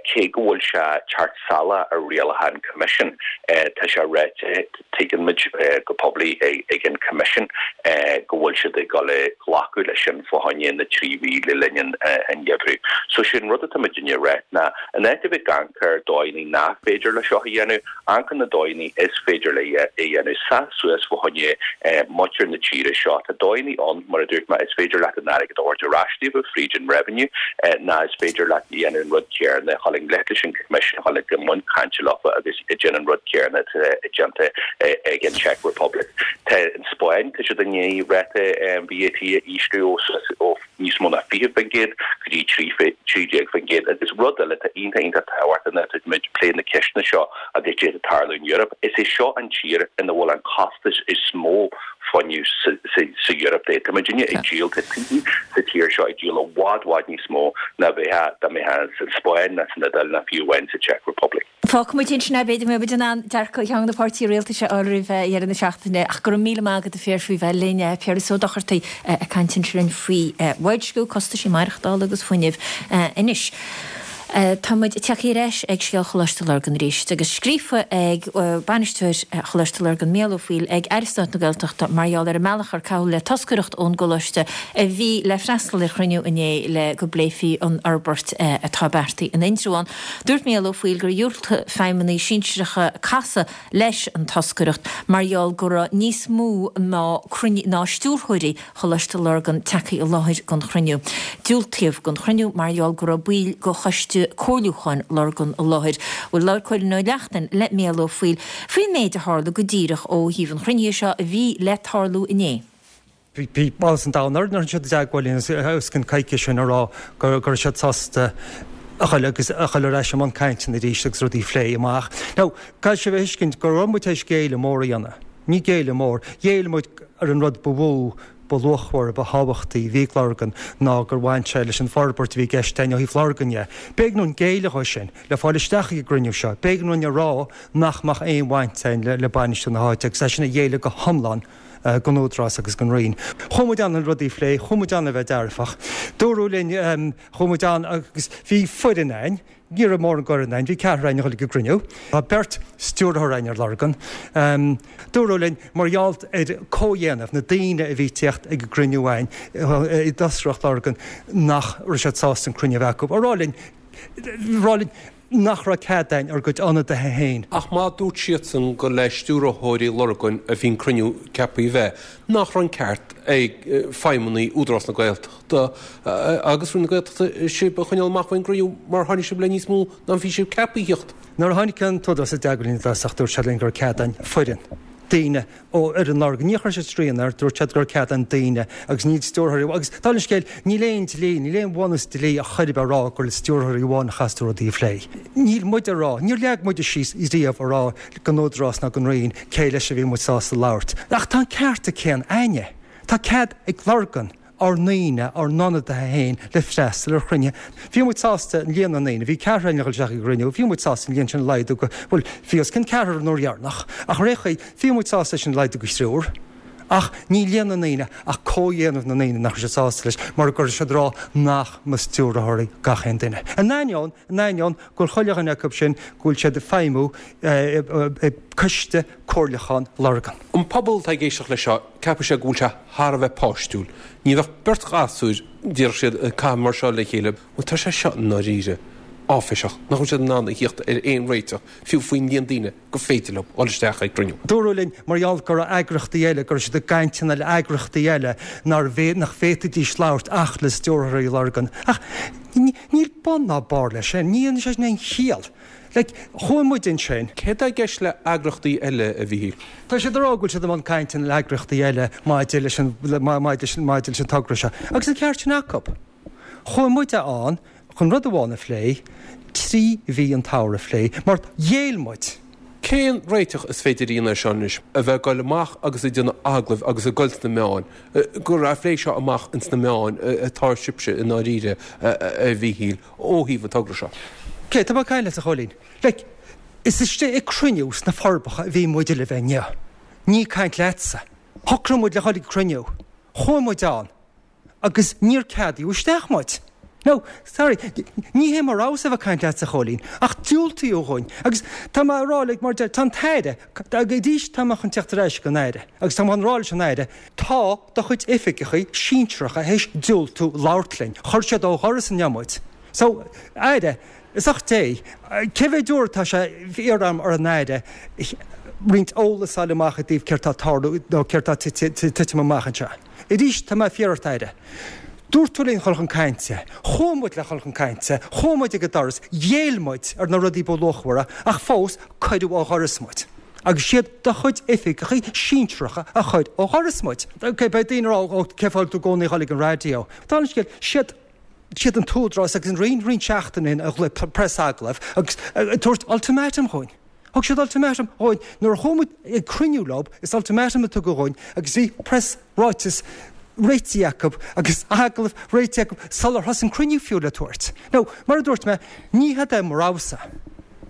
Cé go bhfuil sé teacht salach ar rialacha an Choimisiúin, tá sé ráite, tuigeann muid go poiblí ag an Choimisiún go bhfuil siad ag dul a ghlacadh leis sin fá choinne na trí mhí le linn an gheimhridh. So sé an rud atá muidinne a rá ná, in áit a bheith ag amharc ar dóigheanna nach féidir le seo a dhéanamh, amharc ar na dóigheanna is féidir le é a dhéanamh, seas suas fá choinne muintir na tíre seo. Tá dóigheanna ann, mar a dúirt mé, is féidir leat an airgead a thabhairt ar ais daofa fríd an revenue, ná is féidir leat a dhéanamh an rud céarna, dhul i ngleic leis an Choimisiún, dhul i mbun cainte leofa agus déanamh an rud céarna atá déanta ag an Czech Republic. Tá an Spáinn, tá siad i ndiaidh ráta VAT a ísliú ó níos mó ná fiche faoin gcéad go dtí trí déag faoin gcéad. Agus rud eile atá iontach iontach tábhachtach nuair atá muid ag plé na ceisteanna seo agus d'fhéadfadh tarlú in Eoraip, is é seo an tír ina bhfuil an costas is mó fuinnimh sa Eoraip. Tá muidinne ag díol, tá tithe sa tír seo ag díol i bhfad bhfad níos mó ná bheadh dá mbeadh sa Spáinn ná san Iodáil ná fiú amháin sa Czech Republic. Fágfaidh muid ansin é, b'fhéidir go mbeidh muid in ann dearcadh cheann de na páirtithe rialtais a fháil roimh dheireadh na seachtaine. Ach go raibh míle maith agat a Phiarais faoi bheith linn. Piaras Ó Dochartaigh ag caint ansin linn faoi bhoilsciú, costaisí maireachtála agus fuinnimh anois. Tá muid tagtha ar ais ag scéal Choláiste Lurgan arís agus scríofa ag bainisteoir Choláiste Lurgan, Mícheál Ó Foighil, ag Aire Stáit na Gaeltachta mar gheall ar an mbealach ar caitheadh le toscaireacht ón gcoláiste a bhí le freastal ar chruinniú inné le go bpléifí an fhorbairt atá beartaithe in Indreabhán. Dúirt Mícheál Ó Foighil gur dhiúltaigh feidhmeannaigh sinsearacha casadh leis an toscaireacht mar gheall go raibh níos mó ná ná stiúrthóirí Choláiste Lurgan tagtha i láthair don chruinniú. Diúltaíodh don chruinniú mar gheall go raibh baill de Choiste Comhairliúcháin Lurgan i láthair. Bhuel, labhair Cóilín Ó Neachtain le Mícheál Ó Foighil faoin méid a tharla go díreach ó thaobh an chruinnithe seo a bhí le tarlú inné. Bhí áthas an domhain orainn nuair a tháinig siad i dteagmháil linn os cionn coicíse ó shin ag rá go raibh siad sásta a dhul agus a dhul ar ais i mbun cainteanna arís agus rudaí a phlé amach. Now, caithfidh sibh a thuiscint go raibh muid tar éis géilleadh mór a dhéanamh. Ní géilleadh mór. Ghéill muid ar an rud ba mhó, ba luachmhaire, ba thábhachtaí a bhí ag Lurgan ná gur bhain sé leis an bhforbairt a bhí i gceist againn ó thaobh Lurgan dhe. B'éigean dúinn géilleadh dhó sin le fáil isteach ag an gcruinniú seo. B'éigean dúinn a rá nach mbeadh aon bhaint againn le bainistiú na háite agus é sin a ghéilleadh go hiomlán. don Údarás agus don Roinn. Chuaigh muid ann le rudaí a phlé, chuaigh muid ann le bheith dearfach. Dúradh linn, chuaigh muid ann agus bhí foireann againn, ní raibh mórán d'fhoireann againn, bhí ceathrar againn a dhul ag an gcruinniú. Tá beirt stiúrthóir againn ar Lurgan. Dúradh linn, mar gheall ar comhdhéanamh na daoine a bhí ag tíocht ag an gcruinniú againn i dtoscaireacht Lurgan, nach raibh siad sásta an cruinniú a bheith acu. Ag rá linn, rá linn, nach raibh cead againn ár gcuid ionadaithe féin. Ach má dúirt siadsan gur le stiúrthóirí Lurgan a bhí an cruinniú ceaptha a bheith, nach raibh an ceart ag feidhmeannaigh Údarás na Gaeltachta agus Roinn na Gaeltachta sibh a choinneáil amach faoin gcruinniú mar tháinig sibh le níos mó ná a bhí sibh ceaptha a thíocht? Nuair a tháinig an tÚdarás i dteagmháil linn i dtosach dúirt siad linn go raibh cead againn foireann, daoine ó fhoireann Lurgan. Níor chuir siad srian air, dúirt siad go raibh cead againn daoine agus ní stiúrthóirí amháin. Agus dála an scéil, níl aon dlí, níl aon bhunús dlí ar chor ar bith a rá gur le stiúrthóirí amháin a chaithfeas tú rudaí a phlé. Níl muid a rá, níor leag muide síos riamh a rá don Údarás ná don Roinn cé leis a bhí muid sásta labhairt. Ach tá an ceart céanna againne. Tá cead ag Lurgan. ár ndaoine, ár n-ionadaithe féin le freastal ar chruinnithe. Bhí muid sásta an líon na ndaoine, bhí ceathrar againn a dhul isteach ag an gcruinniú, bhí muid sásta an líon sin a laghdú go, bhuel, bhí os cionn ceathrar an uair dheireanach, ach ar aon chaoi, bhí muid sásta é sin a laghdú go triúr. Ach ní líon na ndaoine ach comhdhéanamh na ndaoine nach raibh siad sásta leis mar go raibh siad ag rá nach mba stiúrthóirí gach aon duine. In ainneoin, in ainneoin go bhfuil chuile dhuine acu sin go bhfuil siad ag feidhmiú i gCoiste Comhairliúcháin Lurgan. An pobal atá ag éisteacht leis seo, ceapfaidh sé go bhfuil sé thar a bheith páistiúil. Ní bheadh beirt ghasúir, déarfadh siad, ag caitheamh mar seo le chéile. Bhuel, tá sé seo i ndáiríre áiféiseach, nach bhfuil siad in ann a thíocht ar aon réiteach, fiú faoin líon daoine gur féidir leo dhul isteach ag cruinniú. Dúradh linn, mar gheall go raibh eagraíochtaí eile, go raibh siad i gcainteanna le eagraíochtaí eile nár nach bhféadfaidís labhairt ach le stiúrthóirí Lurgan. Ach níl bun ná barr leis sin, ní dhéanann sé sin aon chiall. Like, chuaigh muid ansin. Céard tá i gceist le eagraíochtaí eile, a Mhíchíl? Tá siad ag rá go bhfuil siad i mbun cainteanna le heagraíochtaí eile maidir leis an maidir leis an togra seo. Agus an ceart sin acu. Chuaigh muide ann chun rud amháin a phlé, trí mhí an tsamhraidh a phlé, mar ghéill muid. Cén réiteach is féidir a dhéanamh air seo anois? A bheith ag goil amach agus ag déanamh agallaimh agus ag goil sna meáin, gur a' phlé seo amach ins na meáin atá sibhse i ndáiríre, a Mhíchíl, ó thaobh an togra seo? Ok, tá mé ag caint leat, a Chóilín. Like, is istigh ag cruinniú sna Forbacha a bhí muid le bheith inniu. Ní ag caint leatsa. Shocraigh muid le dhul ag cruinniú. Chuaigh muid ann. Agus níor ceadaíodh isteach muid. Now, sorry, ní hé mo rogha-sa a bheith ag caint leatsa, a Chóilín, ach diúltaíodh dhúinn. Agus tá mé a rá, like, mar deir, tá an tAire, arís tá mé chun teacht ar ais ag an Aire, agus tá mé chun rá leis an Aire, tá do chuid oifigeachaí sinsearacha théis diúltú labhairt linn. Chuir siad ó dhoras inniu muid. So, Aire, is ucht Dé, cé mhéad uair atá sé iarrtha agam ar an Aire roinnt eolas a fháil amach i dtaobh céard tá ag tarlú nó céard tá ag titim amach anseo. Arís, tá mé ag fiafraí ort, Aire. Dúirt tú linn dhul chun cainte. Chuaigh muid le dhul chun cainte. Chuaigh muid ag an doras. Ghéill muid ar na rudaí ba luachmhara, ach fós, cuireadh ó dhoras muid. Agus siad do chuid oifigeachaí sinsearacha a chuir ó dhoras muid. Ok, beidh daoine ag rá, ó, cén fáth a bhfuil tú i gcónaí ag dhul ag an raidió? Dála an scéil, siad, siad an tÚdarás agus an Roinn roinnt seachtainí ó shin a ghlaoigh preasagallamh agus ag tabhairt ultimatum dhúinn. Thug siad ultimatum dhúinn nuair a chuaigh muid ag cruinniú leo, is ultimatum a tugadh dhúinn agus bhí press ráiteas réitithe acu agus agallamh réitithe acu sular thosaigh an cruinniú fiú le tabhairt. Now, mar a dúirt mé, ní hé é mo rogha-sa.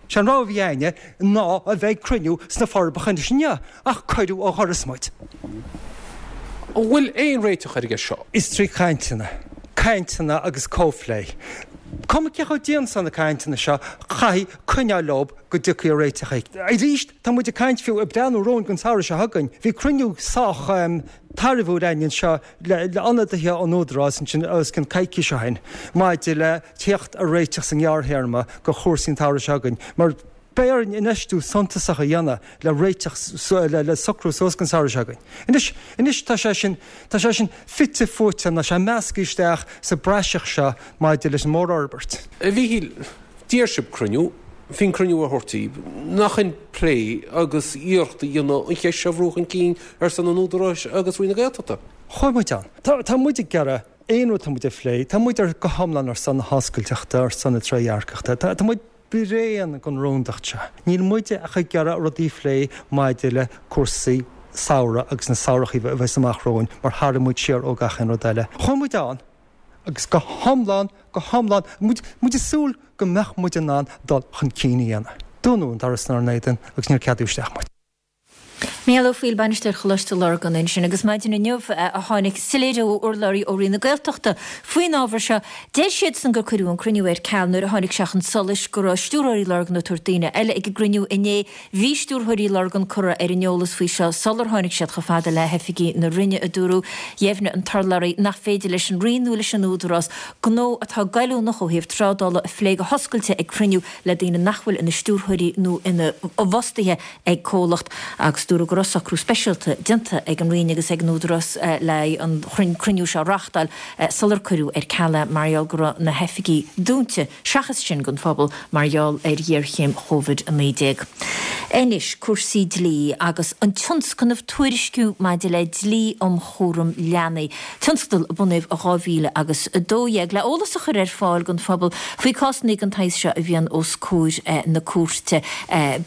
Sé an rogha a bhí againne ná a bheith ag cruinniú sna Forbacha anois inniu, ach cuireadh ó dhoras muid. An bhfuil aon réiteach ar an gceist seo? Is trí chainteanna, cainteanna agus comhphlé. Cuma cé chomh dian is atá na cainteanna seo, caithfidh coinneáil leo go dtiocfaidh ar réiteach éigin. Arís, tá muid ag caint fiú, ag breathnú romhainn don samhradh seo chugainn. Bhí cruinniú sách tairbhiúil againn anseo le ionadaithe ón Údarás ansin os cionn coicís ó shin maidir le teacht ar réiteach sa ngearrthéarma do chúrsaí an tsamhraidh seo chugainn mar beidh orainn infheistiú suntasach a dhéanamh le réiteach, le socrú suas don samhradh seo chugainn. Anois, anois tá sé sin, tá sé sin fite fuaite nó sé measctha isteach sa bpraiseach seo maidir leis an mórfhorbairt. A Mhíchíl, d'iarr sibh cruinniú, bhí an cruinniú á thabhairt daoibh. Nach in plé agus iarracht a dhéanamh an cheist seo a bhrú chun cinn ar son an Údaráis agus Roinn na Gaeltachta? Chuaigh muid ann. Tá, tá muid ag iarraidh aon rud atá muid ag phlé, tá muid ar, go hiomlán ar son na hoscailteachta, ar son na trédhearcachta. Tá, tá muid bréan den rúndacht seo. Níl muide ach ag iarraidh rudaí a phlé maidir le cúrsaí samhraidh agus na samhrachaí a bheas amach romhainn mar tharraing muid siar ó gach aon rud eile. Chuaigh muid ann agus go hiomlán, go hiomlán, muid, muid ag súil go mbeadh muid in ann dul chun cinn a dhéanamh. Dúnadh an doras inár n-éadan agus níor ceadaíodh isteach muid. Mícheál Ó Foighil, Bainisteoir Choláiste Lurgan ansin agus maidin inniu a tháinig soiléiriú ó urlabhraí ó Roinn na Gaeltachta faoin ábhar seo. Deir siadsan gur cuireadh an cruinniú ar ceal nuair a tháinig sé chun solais go raibh stiúrthóirí Lurgan ag tabhairt daoine eile ag an gcruinniú inné. Bhí stiúrthóirí Lurgan curtha ar an eolas faoi seo sular tháinig siad chomh fada le hoifigí na Roinne, a dúradh. Dheimhnigh an t-urlabhraí nach féidir leis an Roinn nó leis an Údarás gnó atá goilliúnach ó thaobh trádála a phlé go hoscailte ag cruinniú le daoine nach bhfuil ina stiúrthóirí nó ina bhfostaithe ag comhlacht agus dúradh go raibh socrú speisialta déanta ag an Roinn agus ag an Údarás le an cruinniú seo a reáchtáil sular cuireadh ar ceal é mar gheall go raibh na hoifigí dúnta seachas sin don phobal mar gheall ar ghéarchéim Chóivid a naoi déag. Anois cúrsaí dlí agus an tionscnamh tuairisciú maidir le dlí um chúram leanaí, tionscadal a bunaíodh i dhá mhíle agus a dó dhéag le eolas a chur ar fáil don phobal faoi cásanna den tsaghas seo a bhíonn os comhair na cúirte.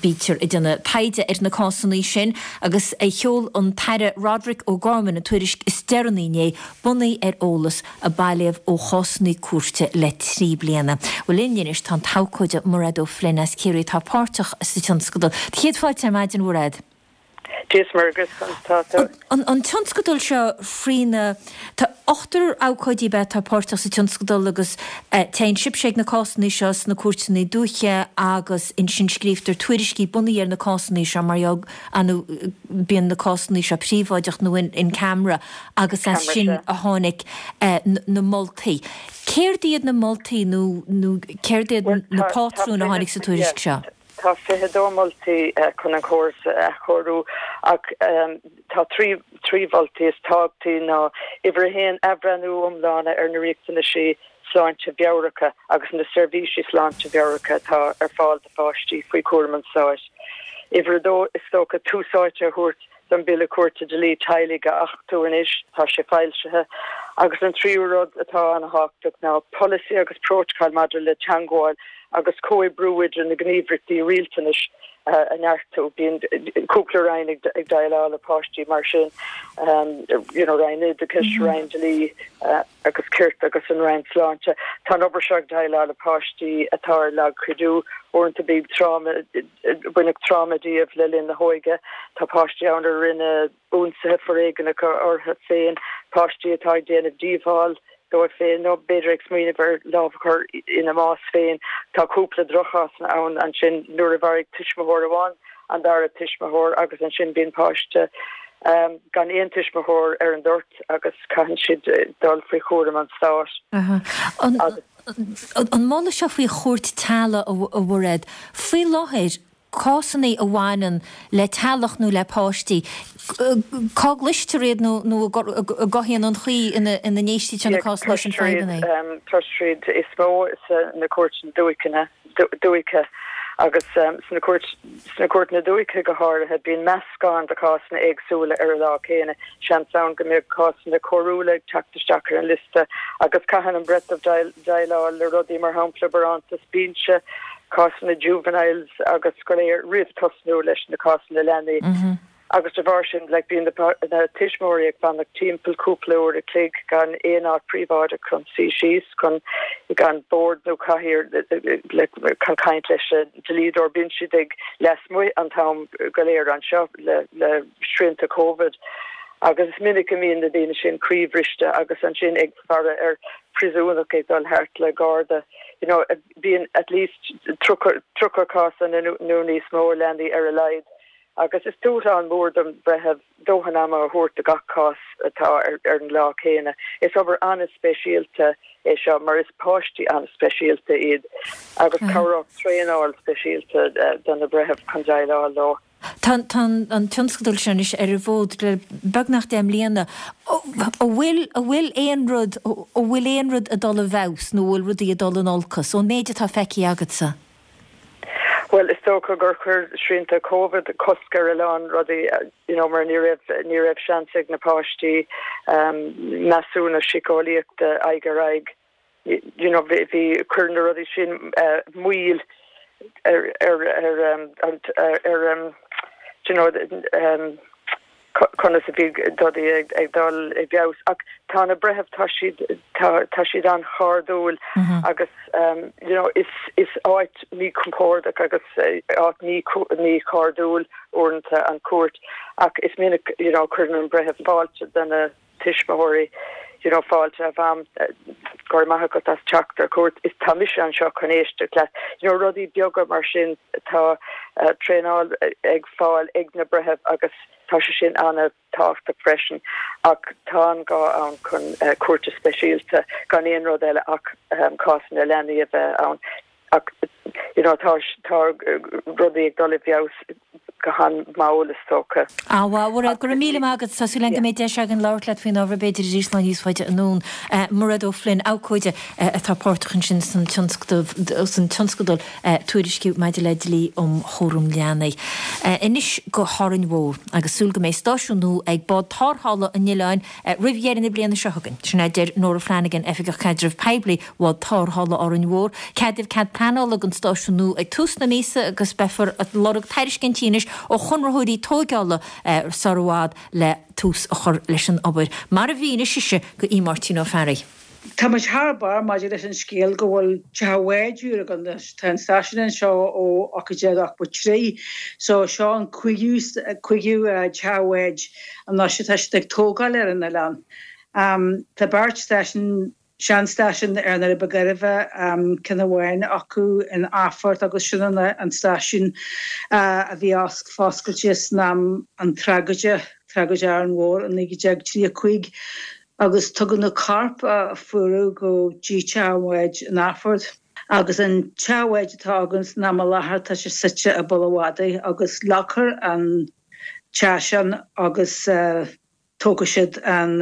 Bítear ag déanamh taighde ar na cásanna sin agus sheol an tAire Roderic O'Gorman an tuairisc is deireanaí inné, bunaithe ar eolas a bailíodh ó chásanna cúirte le trí bliana. Bhuel linn anois tá an t-abhcóide Mairéad O'Flynn as Ciarraí atá páirteach sa tionscadal. Céad fáilte ar maidin, Mhairéad. Dia is Muire dhuit, conas tá tú? An tionscadal seo faoina, tá ochtar abhcóidí ab ea atá páirteach sa tionscadal agus téann sibhse ag na cásanna seo sna cúirteanna dúiche agus ansin scríobhtar tuairiscí bunaithe ar na cásanna seo mar gheall nó bíonn na cásanna seo príobháideach nó in camera agus as sin a tháinig na moltaí. Céard iad na moltaí nó céard iad na pátrúin a tháinig sa tuairisc seo? Tá fiche dó moltaí chun an córas a athchóiriú ach tá trí trí mholtaí is tábhachtaí ná uimhir a haon athbhreithniú iomlán ar na riachtanaisí sláinte mheabhracha agus na seirbhísí sláinte mheabhracha atá ar fáil do pháistí faoi chúram an stáit. Uimhir a dó is dócha tús áite a thabhairt don Bhille Cúirte Dlí Teaghlaigh a achtú anois, tá sé foilsithe, agus an tríú rud atá an-thábhachtach ná polasaí agus prótacal maidir le teagmháil agus comhoibriú idir na gníomhaireachtaí rialtais a neartú. Bíonn cúpla roinn ag déileáil le páistí mar sin, you know, Roinn Oideachais, Roinn Dlí agus Cirt agus an Roinn Sláinte. Tá an obair seo ag déileáil le páistí atá ar lagchuidiú, uaireanta bíonn tráma, baineadh tráma díobh le linn na hóige. Tá páistí ann a rinne ionsaithe foréigneacha orthu féin, páistí atá ag déanamh díobháil dóibh féin nó b'fhéidir ag smaoineamh ar lámh a chur ina mbás féin. Tá cúpla droch-chásanna ann ansin nuair a mharaigh tuismitheoir amháin an dara tuismitheoir agus ansin bíonn páiste gan aon tuismitheoir ar an dtoirt agus caitheann siad dul faoi chúram an stáit. An moladh seo faoi chúirt teaghlaigh a Mhairéad, faoi láthair cásanna a bhaineann le teaghlach nó le páistí, cá gcloistear iad nó cá hé an chaoi ina n-éistítear na cásanna sin fadhbanna? Cloistear iad is mó sna cúirteanna dúiche dúiche agus sna cúirteanna dúiche go háirithe bíonn meascán de chásanna éagsúla ar an lá céanna. Seans ann go mbeadh cásanna coiriúla ag teacht isteach ar an liosta agus caitheann an breitheamh déileáil le rudaí mar shampla barántas binse, cásanna juveniles agus go léir roimh tosnú leis na cásanna leanaí. Agus de bharr sin like bíonn na tuismitheoirí ag fanacht timpeall cúpla uair a chloig gan aon áit príobháideach chun suí síos, chun gan bord nó cathaoir like chun caint leis an dlíodóir. Bíonn siad ag lasmuigh an t-am go léir anseo le le srianta Covid. Agus is minic go mbíonn na daoine sin croíbhriste agus ansin ag faire ar phríosúnach ag dul thart le garda. You know, bíonn at least tríocha cás nó níos mó leanaí ar a laghad. Agus is dúshlán mór don bhreitheamh dóthain ama a thabhairt do gach cás atá ar ar an lá céanna. Is obair an-speisialta é seo mar is páistí an-speisialta iad agus cabhródh traenáil speisialta do na breithimh chun déileáil leo. Tá an tionscadal seo anois ar an bhfód le beagnach deich mbliana. An bhfuil an bhfuil aon rud an bhfuil aon rud ag dul i bhfeabhas nó an bhfuil rudaí ag dul in olcas ón méid atá feicthe agatsa? Bhuel, is dócha gur chuir srianta Covid cosc ar a lán rudaí, you know, mar ní raibh ní raibh seans ag na páistí um, measúnú síceolaíochta aghaidh ar aghaidh. You know, bhí bhí chuir na rudaí sin uh, moill ar ar ar um, ar, ar um, you know, um, conas a bhí rudaí ag, ag dul i bhfeabhas ach tá na breithimh tá siad tá, tá siad an-chairdiúil mm -hmm. agus um, you know, is, is áit míchompordach agus uh, áit mí míchairdiúil uaireanta an cúirt ach is minic you know, cuireann an breitheamh fáilte do na tuismitheoirí you know, fáilte a mham go raibh maith agat as teacht ar cuairt is tá mise anseo chun éisteacht leat you know, rudaí beaga mar sin tá uh, traenáil ag fáil ag na breithimh agus tá sé sin an-tábhachtach freisin ach tá an gá ann chun uh, cúirte speisialta gan aon rud eile ach um, cásanna leanaí a bheith ann ach you know, tá tá rudaí ag dul i bhfeabhas go han-mhall is dócha. Á Mhairéad go raibh míle maith agat tá súil agam go mbeidh deis againn labhairt leat faoin ábhar b'fhéidir arís lá níos faide anonn. Mairéad O'Flynn abhcóide atá páirteach ansin san san tionscadal tuairisciú maidir le dlí um chúram leanaí. Anois go hÁrainn Mhór agus súil go mbeidh stáisiún nua ag bád tarrthála an oileáin roimh dheireadh na bliana seo chugainn. Sin a deir Nora Flanagan Oifigeach Caidrimh Poiblí Bhád Tarrthála Árainn Mhór. Ceadaíodh cead pleanála don stáisiún nua ag tús na míosa agus beifear ag lorg tairiscintí anois ó chonraitheoirí tógála sar i bhfad le tús a chur leis an obair. Mar a mhínigh sise do Aodh Máirtín Ó Fearraigh. Tá muid thar barr maidir leis an scéal go bhfuil teach an bháid úr againn anois. Tá an stáisiún anseo ó ocht déag ochtó trí so seo an cúigiú cúigiú teach an bháid anois atá siad ag tógáil ar an oileán. Tá beirt stáisiún seanstáisiún ar an Ribe Gairbhe, ceann amháin acu in Athphort agus sin an stáisiún a bhí foscailte san am an tragóide, tragóid Árainn Mhór i naoi déag tríocha cúig. Agus tugadh na coirp a fuaradh go dtí teach an bháid in Athphort. Agus an teach an bháid atá againn san am i láthair tá sé suite i bPoll a' Mhadaidh agus leagfar an teach sin agus tógfaidh siad an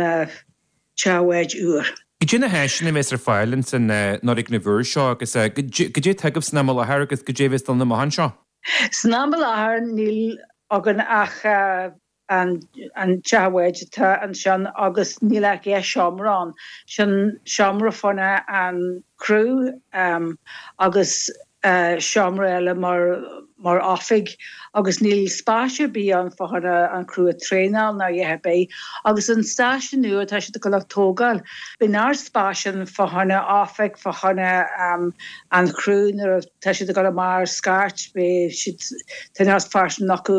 teach an bháid úr. Goidé na háiseanna a bheas ar fáil ins an fhoirgneamh úr seo agus goidé atá agaibh san am i láthair agus goidé a bheas dul amach anseo? San am i láthair níl againn ach an teach an bháid atá ansin agus níl ach dhá seomra ann. Sin seomra fá choinne an chriú agus seomra eile mar mar oifig agus níl spás ar bith ann fá choinne an chriú a traenáil ná a dhath ar bith. Agus an stáisiún nua atá siad ag dul a tógáil, beidh neart spáis ann fá choinne oifig, fá choinne an chriú nuair atá siad ag dul amach ar scairt, beidh siad, tá neart spáis acu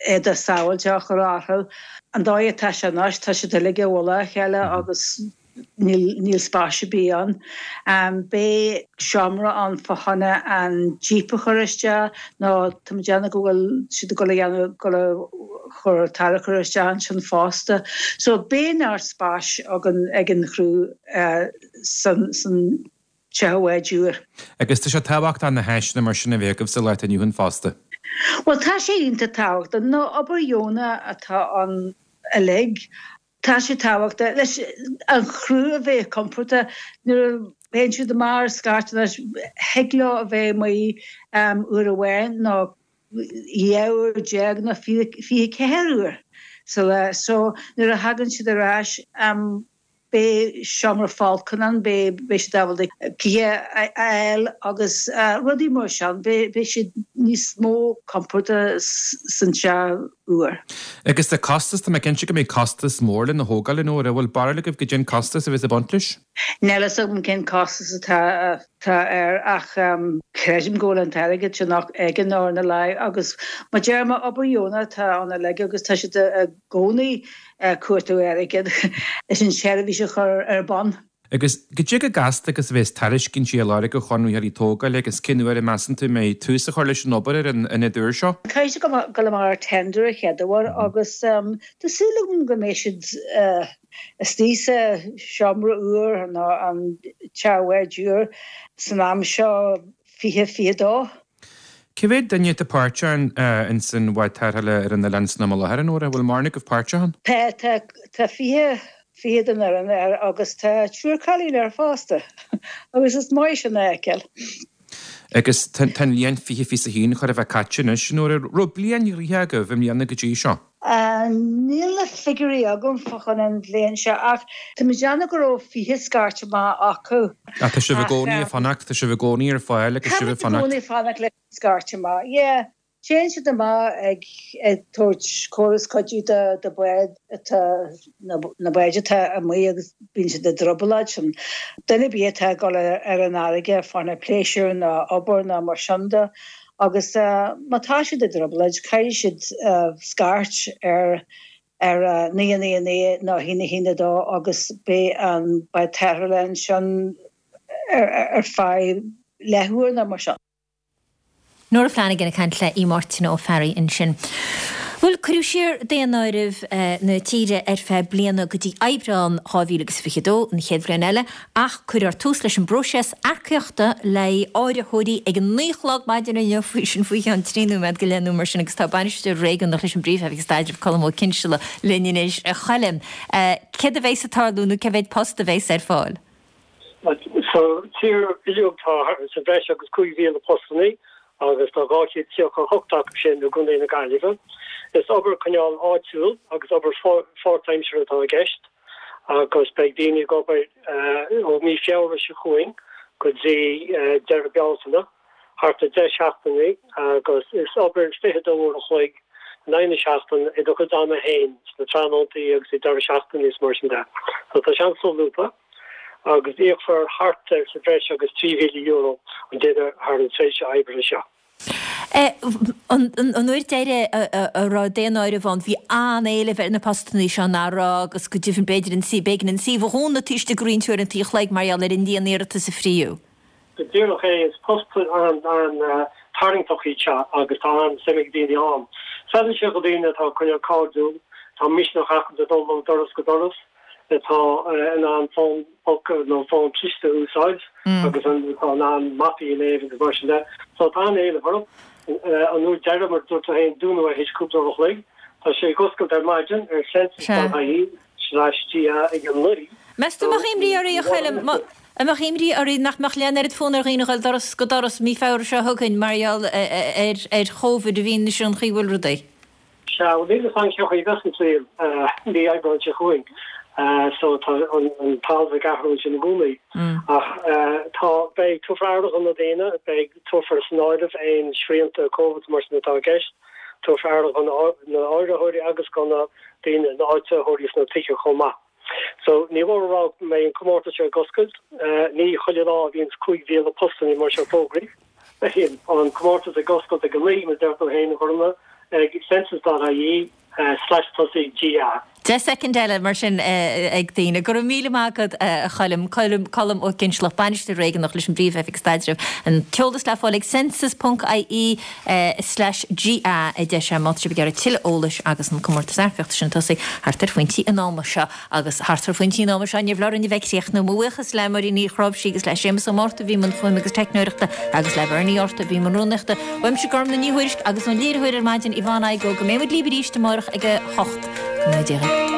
éadaí sábháilte a chur orthu. An dóigh atá sé anois, tá siad uilig i bhfolach a chéile agus níl níl spás ar bith ann. Beidh seomra ann fá choinne an jíp a chur isteach nó tá mé ag déanamh go bhfuil siad ag dul a dhéanamh dul a chur tarracóir isteach ansin fosta. So beidh neart spáis againn ag an chriú san san teach an bháid úr. Agus tá sé tábhachtach na háiseanna mar sin a bheith agaibh sa lá atá inniu ann fosta. Bhuel, tá sé iontach tábhachtach. Nó obair dheonach atá ann uilig. Tá sé tábhachtach leis an chriú a bheith compordach nuair a théann siad amach ar scairt anois, thig leo a bheith amuigh uair amháin nó dhá uair déag nó fiche ceathair uair sa lá. So nuair a thagann siad ar ais, Beidh seomra folctha ann, beidh siad ábalta cith a fháil agus rudaí mar sin, beidh siad níos mó compordach san teach úr. Agus tá costas, tá mé cinnte go mbeidh costas mór lena thógáil, a Nóra, an bhfuil barúil agaibh goidé an costas a bheas ag baint leis? Níl a fhios agam cén costas atá air ach creidim go bhfuil an t-airgead sin againn ar a laghad agus mar a deir mé obair dheonach atá ann uilig agus tá siad i gcónaí ag cuartú airgid leis an tseirbhís a chur ar bun. Agus goidé chomh gasta agus a bheas tairiscintí á lorg ó chonraitheoirí tógála agus cén uair a measann tú a mbeidh tús á chur leis an obair ar an ionad úr seo? Caithfidh siad dul amach ar tender an chéad uair agus tá súil agam go mbeidh siad istigh sa seomra úr nó an teach an bháid úr san am seo fiche fiche dó. Cé mhéad duine atá páirteach ins an bhád tarrthála ar an oileán san am i láthair, a Nóra? Bhfuil mórán agaibh páirteach ann? Tá, tá, tá fiche, fiche den fhoireann air agus tá triúr cailín air fosta agus is maith sin a fheiceáil. Agus tá an bhliain fiche fiche a haon chóir a bheith caite anois, a Nóra. Raibh bliain ghnoitheach agaibh i mbliana go dtí seo? Níl na figiúirí agam fá choinne an bhliain seo ach tá mé ag déanamh go raibh fiche scairt amach acu. Ach tá sibh i gcónaí ag fanacht, tá sibh i gcónaí ar fáil agus sibh ag fanacht. Tá muid i gcónaí ag fanacht leis an scairt amach, yeah. Téann siad amach ag ag tabhairt córas cuidiú do do bháid atá na báid atá amuigh agus bíonn siad i dtrioblóid sin. Duine ar bith atá ag dul ar an fharraige fá choinne pléisiúr nó obair nó mar sin de. Agus má tá siad i dtrioblóid, caithfidh siad scairt ar ar naoi a naoi a naoi nó a haon a haon a dó agus beidh an bád tarrthála ansin ar feadh leathuair nó mar sin. Nóra Flanagan ag caint le Aodh Máirtín Ó Fearraigh ansin. Bhuel, cuireadh siar daonáireamh na tíre ar feadh bliana go dtí Aibreán dhá mhíle agus fiche a dó, an chéad bhliain eile, ach cuirfear tús leis an bpróiseas earcaíochta le haghaidh áiritheoirí ag a naoi a chlog maidin inniu, faoi sin faoi cheann trí nóiméad go leith nó mar sin, agus tá Bainisteoir Réigiúnach leis an bPríomh-Oifig Staidrimh, Colm Ó Cinnseala, linn anois. A Choilm, céard a bheas ag tarlú nó cé mhéad post a bheas ar fáil? Sa tír uilig tá sa bhreis agus cúig mhíle postannaí agus tá dhá chéad tríocha a hocht acu sin i gContae na Gaillimhe. Is obair cineál áitiúil agus obair pháirtaimseartha atá i gceist agus beidh daoine ag obair ó mí Feabhra seo chugainn go dtí deireadh Bealtaine, thart ar deich seachtainí agus is obair fiche dó uair a chloig in aghaidh na seachtaine i do chuid ama féin sna tráthnóntaí agus ag deireadh seachtaine is mar sin de. So tá sé an-solúbtha. agus íocfar thart ar sa bhreis agus trí mhíle euro an duine thar an tréimhse oibre seo. An uair deiridh a raibh daonáireamh ann, bhí an-éileamh ar na postanna seo, nach raibh, agus go deimhin b'fhéidir an b'éigean an suíomh a dhúnadh taobh istigh de roinnt uaireanta an chloig mar gheall ar an líon iarratas a fríodh. Go díreach é, is post an-tarraingteach iad seo agus tá an-suim ag daoine ann. Feileann sé do dhaoine atá cineál cairdiúil, tá misneach acu le dul ó doras go doras, atá in ann fón póca nó fón cliste a úsáid agus atá in ann mapaí a léamh agus mar sin de. So tá an-éileamh orthu. An uair deiridh, mar a dúirt tú féin, dúnadh é théis cúpla uair a chloig. Tá sé ag oscailt ar maidin ar census dot ie slash ga ag a naoi. Meas tú an mbeadh imní oraibh, a Choilm, an mbeadh imní oraibh nach mbeadh an oiread fonn ar dhaoine a dhul doras go doras mí Feabhra seo chugainn mar gheall ar Chóvid i bhfianaise an chaoi a bhfuil rudaí? Sea, bhuel níl a fhios agam cén chaoi a bheas an saol mí Aibreáin seo chugainn so tá an talamh ag athrú ansin i gcónaí. Ach tá, beidh, tabharfar aire do na daoine, beidh, tabharfar san áireamh aon srianta Covid mar sin atá i gceist, tabharfar aire do na áiritheoirí agus do na daoine, na áititheoirí sna tithe chomh maith. So ní mór a rá go mbeidh an comórtas seo ag oscailt, ní chuile lá a bhíonns cúig mhíle postanna mar seo fógraithe. Beidh an comórtas ag oscailt ag a naoi, mar a deir tú féin, a Ghormfhlaith, ag census dot ie slash tosaigh GA. Deich soicind eile mar sin ag daoine. Go raibh míle maith agat, a Choilm. Colm Colm Ó Cinnsealach, Bainisteoir Réigiúnach leis an bPríomh-Oifig Staidrimh. An t-eolas le fáil ag census ponc ie slash GA a deir sé má tá sibh ag iarraidh tuilleadh eolais agus an comórtas earcaíochta sin ag tosaí thart ar phointí an ama seo. Agus thart ar phointí an ama seo níor bhreá orainn a bheith ag críochnú. Mo bhuíochas le Máirín Ní Chráimhsí agus le Séamus Ó Márta a bhí i mbun fuaime agus teicneoireachta agus le Bernie Arthur a bhí i mbun rúnaíochta. Uaimse Gormfhlaith Ní Thuairisg agus ón léiritheoir ar maidin Yvonne Igoe go mbeidh muid libh arís amárach ag a hocht. Go mbeidh Dia.